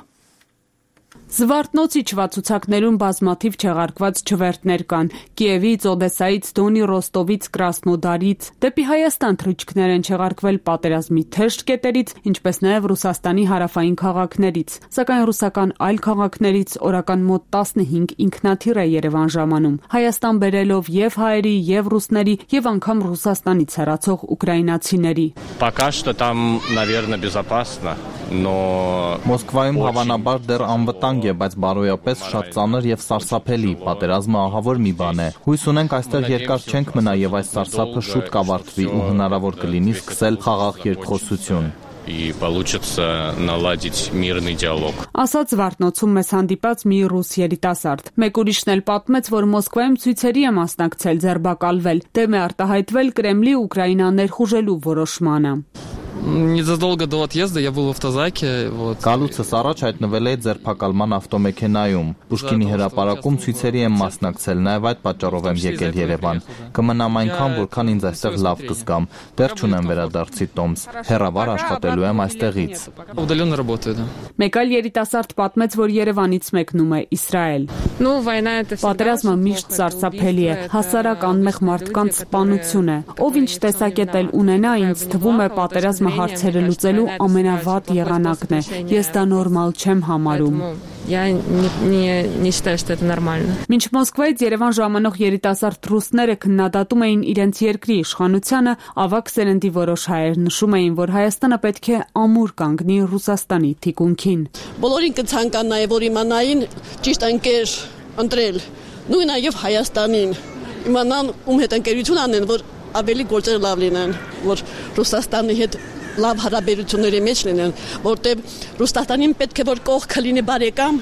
Զվարթնոցի չվացուցակներում բազմաթիվ չեղարկված չվերթներ կան։ Կիևից, Օդեսայից, Դոնի, Ռոստովից, Կրասնոդարից դեպի Հայաստան թռիչքներ են չեղարկվել պատերազմի թեժ կետերից, ինչպես նաև Ռուսաստանի հարավային քաղաքներից։ Սակայն ռուսական այլ քաղաքներից օրական մոտ տասնհինգ ինքնաթիռ է Երևան ժամանում, Հայաստան բերելով եւ հայերի, եւ ռուսների, եւ անգամ Ռուսաստանից հեռացող ուկրաինացիների։ Пока что там, наверное, безопасно, но Մոսկվայում հավանաբար դեռ անվտանգ է, բայց բարոյապես շատ ծանր եւ սարսափելի։ Պատերազմը ահավոր մի բան է։ Հույս ունենք այստեղ երկար չենք մնա եւ այս սարսափը շուտ կավարտվի ու հնարավոր կլինի սկսել խաղաղ երկխոսություն։ И получится наладить мирный диалог. Ասաց Զվարթնոցում մեզ հանդիպած մի ռուս երիտասարդ։ Մեկ ուրիշն էլ պատմեց, որ Մոսկվայում ցույցերի է մասնակցել, ձերբակալվել, դեմ է արտահայտվել Կրեմլի Ուկրաինա ներխուժելու որոշմանը։ Незадолго до отъезда я был в автозаке, вот. Գալուցս առաջ հայտնվել էի ձերբակալման ավտոմեքենայում։ Պուշկինի հրապարակում ցույցերի եմ մասնակցել, նաև այդ պատճառով եմ եկել Երևան։ Կմնամ այնքան, որքան ինձ այստեղ լավ կզգամ։ Դեռ չունեմ վերադարձի տոմս։ Հեռավար աշխատելու եմ այստեղից։ Удаленно работаю, да. Մեկ այլ երիտասարդ պատմեց, որ Երևանից մեկնում է Իսրայել։ Պատերազմը միշտ սարսափելի է, հասարակ անմեղ մարդկանց սպանություն է։ Ով ինչ տեսակետ էլ ունենա, ինձ թվում է պատերազմը հարցերը լուծելու ամենավատ եղանակն է։ Ես դա նորմալ չեմ համարում։ Մինչ Մոսկվայից Երևան ժամանող երիտասարդ ռուսները քննադատում էին իրենց երկրի իշխանությանը, ավագ սերնդի որոշ հայեր նշում էին, որ Հայաստանը պետք է ամուր կանգնի Ռուսաստանի թիկունքին։ Բոլորին կցանկանայի, որ իմանային ճիշտ ընկեր ընտրել, նույն նաև Հայաստանին։ Իմանան ում հետ ընկերություն անեն, որ ավելի գործերը լավ լինեն, որ Ռուսաստանի հետ լավ հարաբերությունների մեջ լինեն, որտեղ Ռուսաստանին պետք է որ կողքը լինի բարեկամ,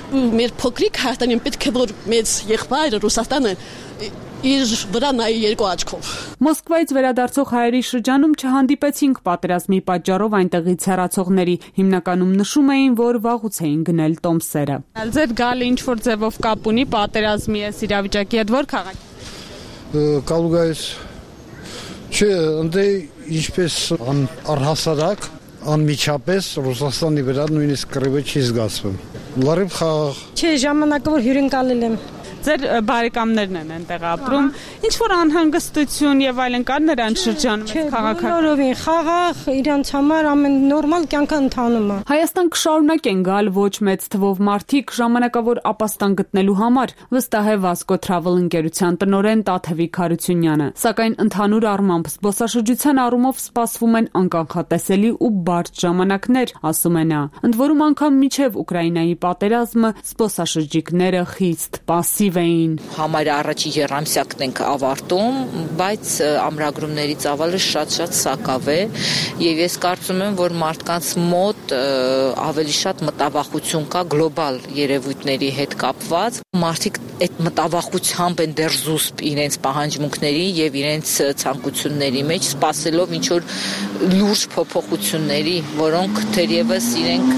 ու մեր փոքրիկ Հայաստանին պետք է որ մեծ եղբայրը Ռուսաստանը իր վրա նայի երկու աչքով։ Մոսկվայից վերադարձող հայերի շրջանում չհանդիպեցինք պատերազմի պատճառով այնտեղից հեռացողների, հիմնականում նշում էին, որ վաղուց էին գնել տոմսերը։ Ձեր գալը ինչ որ ձևով կապ ունի պատերազմի այս իրավիճակի հետ, որ քաղաք։ Կալուգայից Չէ, ընդ ինչպես առհասարակ անմիջապես Ռուսաստանի վրա նույնիսկ կռիվը չի զգացվում։ Լրիվ խաղաղ։ Չէ, ժամանակը որ հյուրընկալել եմ։ Ձեր բարեկամներն են այնտեղ ապրում։ Ինչ որ անհանգստություն եւ այլն կար նրանց շրջանում քաղաքը։ Բոլորովին խաղաղ, իրանց համար ամեն նորմալ կյանքը ընթանում է։ Հայաստան կշարունակեն գալ ոչ մեծ թվով մարդիկ ժամանակավոր ապաստան գտնելու համար, վստահ է Vasco Travel ընկերության տնօրեն Տաթևիկ Հարությունյանը։ Սակայն ընդհանուր առմամբ զբոսաշրջության առումով սպասվում են անկանխատեսելի ու բարդ ժամանակներ, ասում է նա։ Ընդ որում անգամ միջև Ուկրաինայի պատերազմը զբոսաշրջիկները խիստ պասիվ Համարյա առաջի եռամսյակն ենք ավարտում, բայց ամրագրումների ծավալը շատ-շատ սակավ է եւ ես կարծում եմ, որ մարդկանց մոտ ավելի շատ մտավախություն կա գլոբալ երևույթների հետ կապված։ Մարդիկ այդ մտավախությամբ են դեռ զուսպ իրենց պահանջմունքների եւ իրենց ցանկությունների մեջ, սպասելով ինչ որ լուրջ փոփոխությունների, որոնք թերևս իրենք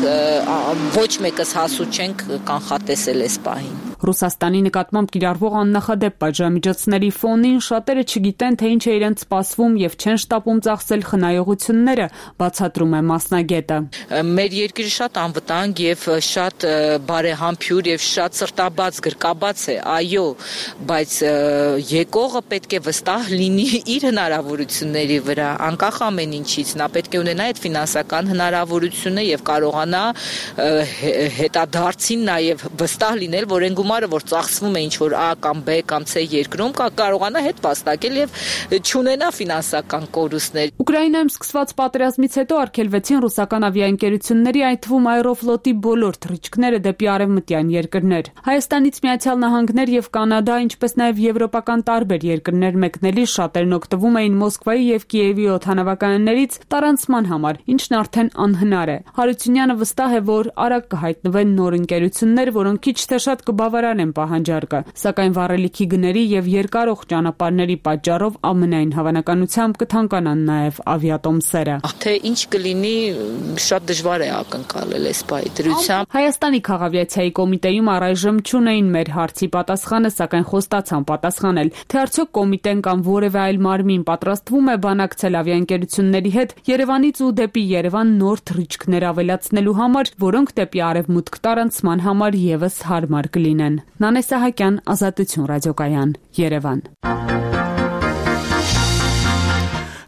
ոչ մեկս հասու չենք կանխատեսել այս պահին։ Ռուսաստանի նկատմամբ կիրառվող աննախադեպ պատժամիջոցների ֆոնին շատերը չգիտեն, թե ինչ է իրենց սպասվում եւ չեն շտապում ծախսել խնայողությունները, բացատրում է մասնագետը։ Մեր երկիրը շատ անվտանգ եւ շատ բարեհամբույր եւ շատ սրտաբաց գրկաբաց է, այո, բայց եկողը պետք է վստահ լինի իր հնարավորությունների վրա, անկախ ամեն ինչից, նա պետք է ունենա այդ ֆինանսական հնարավորությունը եւ կարողանա հետադարձին նաեւ վստահ լինել, որ են գումարը, որ ծախսվում է ինչ որ A կամ B կամ C երկրում, կարողանա հետ վաստակել եւ չունենա ֆինանսական կորուստներ։ Ուկրաինայում սկսված պատերազմից հետո արգելվեցին ռուսական ավիաընկերությունների, այդ թվում Aeroflot-ի բոլոր թռիչքները դեպի արևմտյան երկրներ։ Հայաստանից Միացյալ Նահանգներ եւ Կանադա, ինչպես նաեւ եվրոպական տարբեր երկրներ մեկնելի շատերն օգտվում էին Մոսկվայի եւ Կիևի օդանավակայաններից տարանցման համար, ինչն արդեն անհնար է։ Հարությունյանը վստահ է, որ արագ կհայտնվեն նոր ընկերություններ, որոնք քիչ թե շատ կբավարանեն պահանջարկը, սակայն վառելիքի գների եւ երկարող ճանապարհների պատճառով ամենայն հավանականությամբ կթանկանան նաեւ ավիատոմսերը։ Թե ինչ կլինի, շատ դժվար է ակնկալել այս պահի դրությամբ։ Հայաստանի քաղաքավիացիայի կոմիտեում առայժմ չունեին մեր հարցի պատասխանը, սակայն խոստացան պատասխանել, թե արդյոք կոմիտեն կամ որևէ այլ մարմին պատրաստվում է բանակցել ավիաընկերությունների հետ Երևանից ու դեպի Երևան նոր թռիչքներ ավելացնելու համար, որոնք դեպի արևմուտք տարանցման համար եւս հարմար կլինեն։ Նանե Սահակյան, Ազատություն ռադիոկայան, Երևան։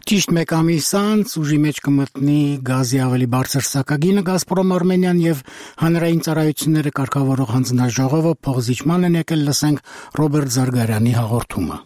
Ճիշտ մեկ ամիս անց ուժի մեջ կմտնի գազի ավելի բարձր սակագինը Գազպրոմ Արմենիան եւ հանրային ծառայությունները կարգավորող հանձնաժողովը փոխզիջման են եկել, լսենք Ռոբերտ Զարգարյանի հաղորդումը։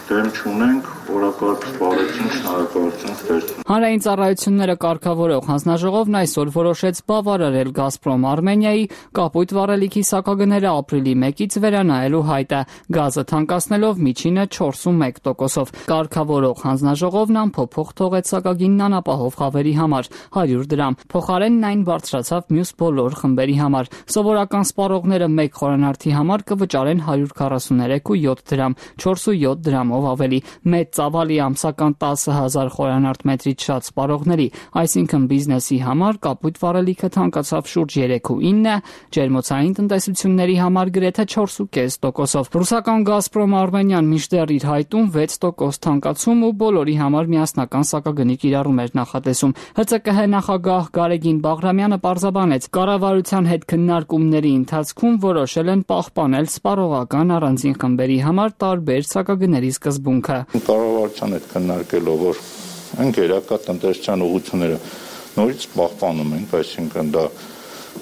Դեմ չունենք, օրակարգ սպառեցին, շնորհակալություն ստեղծում։ Հանրային ծառայությունները կարգավորող հանձնաժողովն այսօր որոշեց բավարարել Գազպրոմ Արմենիայի կապույտ վառելիքի սակագները ապրիլի մեկից վերանայելու հայտը, գազը թանկացնելով միջինը չորսունմեկ տոկոսով։ Կարգավորող հանձնաժողովն անփոփոխ թողեց սակագինն անապահով խավերի համար հարյուր դրամ, փոխարենն այն բարձրացավ մյուս բոլոր խմբերի համար։ Սովորական սպառողները մեկ խորանարդի համար կվճարեն հարյուր քառասուներեք ու յոթ դրամ, չորս ու յոթ դրամով ավելի, մեծ ծավալի ամսական տասը հազար խորանարդ մետրից շատ սպառողների, այսինքն բիզնեսի համար կապույտ վառելիքը թանկացավ շուրջ երեք ու ինը, ջերմոցային տնտեսությունների համար գրեթե չորս ու կես տոկոսով։ Ռուսական Գազպրոմ Արմենիան մինչդեռ իր հայտում վեց տոկոս թանկացում ու բոլորի համար միասնական սակագնի կիրառում էր նախատեսում։ ՀՑԿՀ նախագահ Գարեգին Բաղրամյանը պարզաբանեց, կառավարության հետ քննարկումների ընթացքում որոշել են պահպանել սպառողական առանձին խմբերի համար տարբեր սակագների սկզբունքը։ Կառավարության հետ քննարկելով, որ ընկերակա տնտեսության ուղղությունները նորից պահպանում ենք, այսինքն դա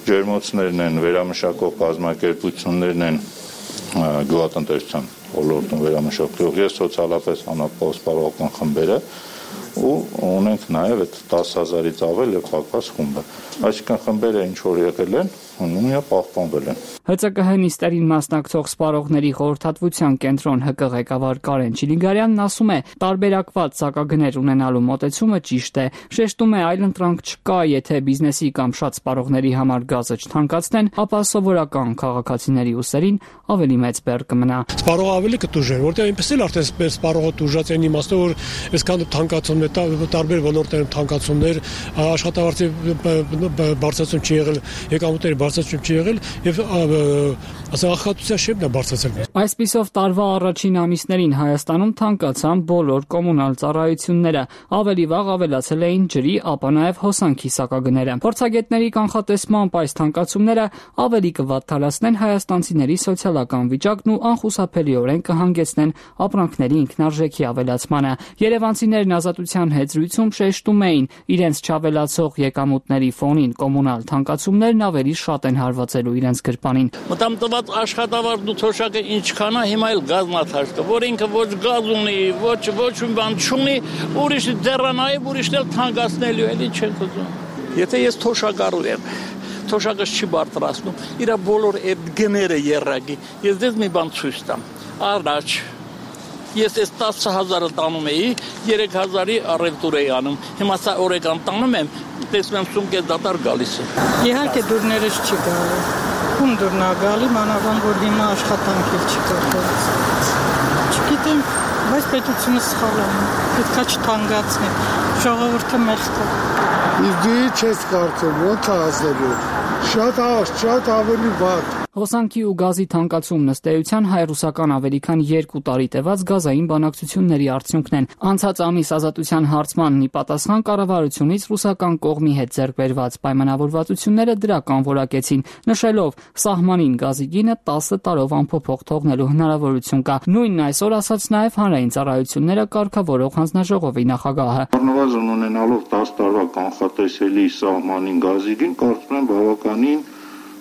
ջերմոցներն են, վերամշակող կազմակերպություններն են, գյուղատնտեսության ոլորտում վերամշակող, ես սոցիալապես անապահով սպառողական խմբերը ու ունենք նաև այդ տասը հազարից ավել եւ հակված խումբը։ Այսինքն խմբերը ինչ որ եղել են, նույնը պահպանվել են։ ՀՑԿՀ նիստերին մասնակցող սպառողների խորհրդատվության կենտրոն ՀԿ ղեկավար Կարեն Չիլիգարյանն ասում է, տարբերակված սակագներ ունենալու մոտեցումը ճիշտ է, շեշտում է այլընտրանք չկա, եթե բիզնեսի կամ շատ սպառողների համար գազը չթանկացնեն, ապա սովորական քաղաքացիների ուսերին ավելի մեծ բեռ կմնա։ Սպառողը ավելի կտուժեր, որտեղ այնպես էլ արդեն սպառողը տուժած են իմաստով, որ այսքան թանկացում է, տարբեր ոլորտներում թանկացումներ, աշխատավարձի բարձրացում չի եղել, եկամուտների բարձրացում չի եղել եւ ասա ախտության շեմն է բարձրացել։ Այսպիսով տարվա առաջին ամիսներին Հայաստանում թանկացան բոլոր կոմունալ ծառայությունները, ավելի վաղ ավելացել էին ջրի, ապա նաև հոսանքի սակագները։ Փորձագետների կանխատեսմամբ այս թանկացումները ավելի կվատթարացնեն հայաստանցիների սոցիալական վիճակն ու անխուսափելիորեն կհանգեցնեն ապրանքների ինքնարժեքի ավելացմանը։ Երևանցիներն Ազատության հետ զրույցում շեշտում էին, իրենց չավելացող եկամուտների ֆոնին կոմունալ թանկացումներն ավելի շատ են հարվածելու իրենց գրպանին։ Մտամտված աշխատավարձն ու թոշակը ինչքան է, հիմա էլ գազնաթաշ կա, որ ինքը ոչ գազ ունի, ոչ ոչ մի բան չունի, ուրիշ դեռանայ, ուրիշն էլ թանկացնելու էլի չեն ուզում։ Եթե ես թոշակառու եմ, թոշակս չի բարձրացնում, իր բոլոր այդ գները երրագի, ես դες մի բան ցույց տամ։ Առաջ ես այս տասը հազարը տանում էի, երեք հազարի առևտուր էի անում։ Հիմա սա օրեկան տանում եմ, տեսնում եմ սումք է դատար գալիս է։ Իհարկե դուրներս չի գալի։ Ում դուրն է գալի, մանավանդ որ հիմա աշխատանք էլ չի կատարվում։ Չգիտեմ, բայց պետությունը սխալ է։ Պետքա չթանկացնի։ Ժողովուրդը մեղք է։ Իդի չես կարծում, ո՞նց է ասելու։ Շատ շատ ավելի վատ։ Հոսանքի ու գազի թանկացումն ըստ էության հայ-ռուսական ավելի քան երկու տարի տևած գազային բանակցությունների արդյունքն են։ Անցած ամիս Ազատության հարցմանն ի պատասխան կառավարությունից ռուսական կողմի հետ ձեռք բերված պայմանավորվածությունները դրական որակեցին, նշելով սահմանին գազի գինը տասը տարով անփոփոխ թողնելու հնարավորություն կա։ Նույնն այսօր ասաց նաև հանրային ծառայությունները կարգավորող հանձնաժողովի նախագահը։ Առնվազն ունենալով տասը տարվա կանխատեսելի սահմանին գազի գին, կարծում եմ բավականին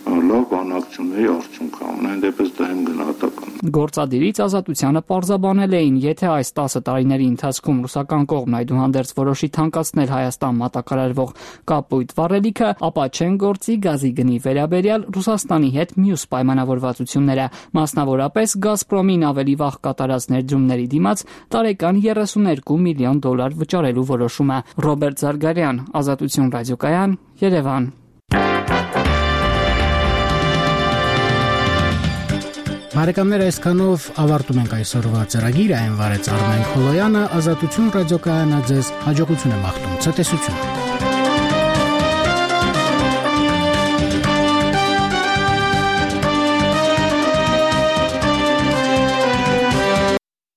լավ բանակցությունների արդյունք է, ամեն դեպս դա եմ գնահատական։ Գործադիրից Ազատությանը պարզաբանել էին, եթե այս տասը տարիների ընթացքում ռուսական կողմն այդուհանդերձ որոշի թանկացնել Հայաստան մատակարարվող կապույտ վառելիքը, ապա չեն գործի գազի գնի վերաբերյալ Ռուսաստանի հետ մյուս պայմանավորվածությունները, մասնավորապես Գազպրոմին ավելի վաղ կատարած ներդրումների դիմաց տարեկան երեսուներկու միլիոն դոլար վճարելու որոշումը։ Ռոբերտ Զարգարյան, Ազատություն ռադիոկայան, Երևան։ Բարեկամներ, այսքանով ավարտում ենք այսօրվա ծրագիրը, այն վարեց Արմեն Խոլոյանը, Ազատություն ռադիոկայանը ձեզ հաջողություն է մաղթում, ցտեսություն։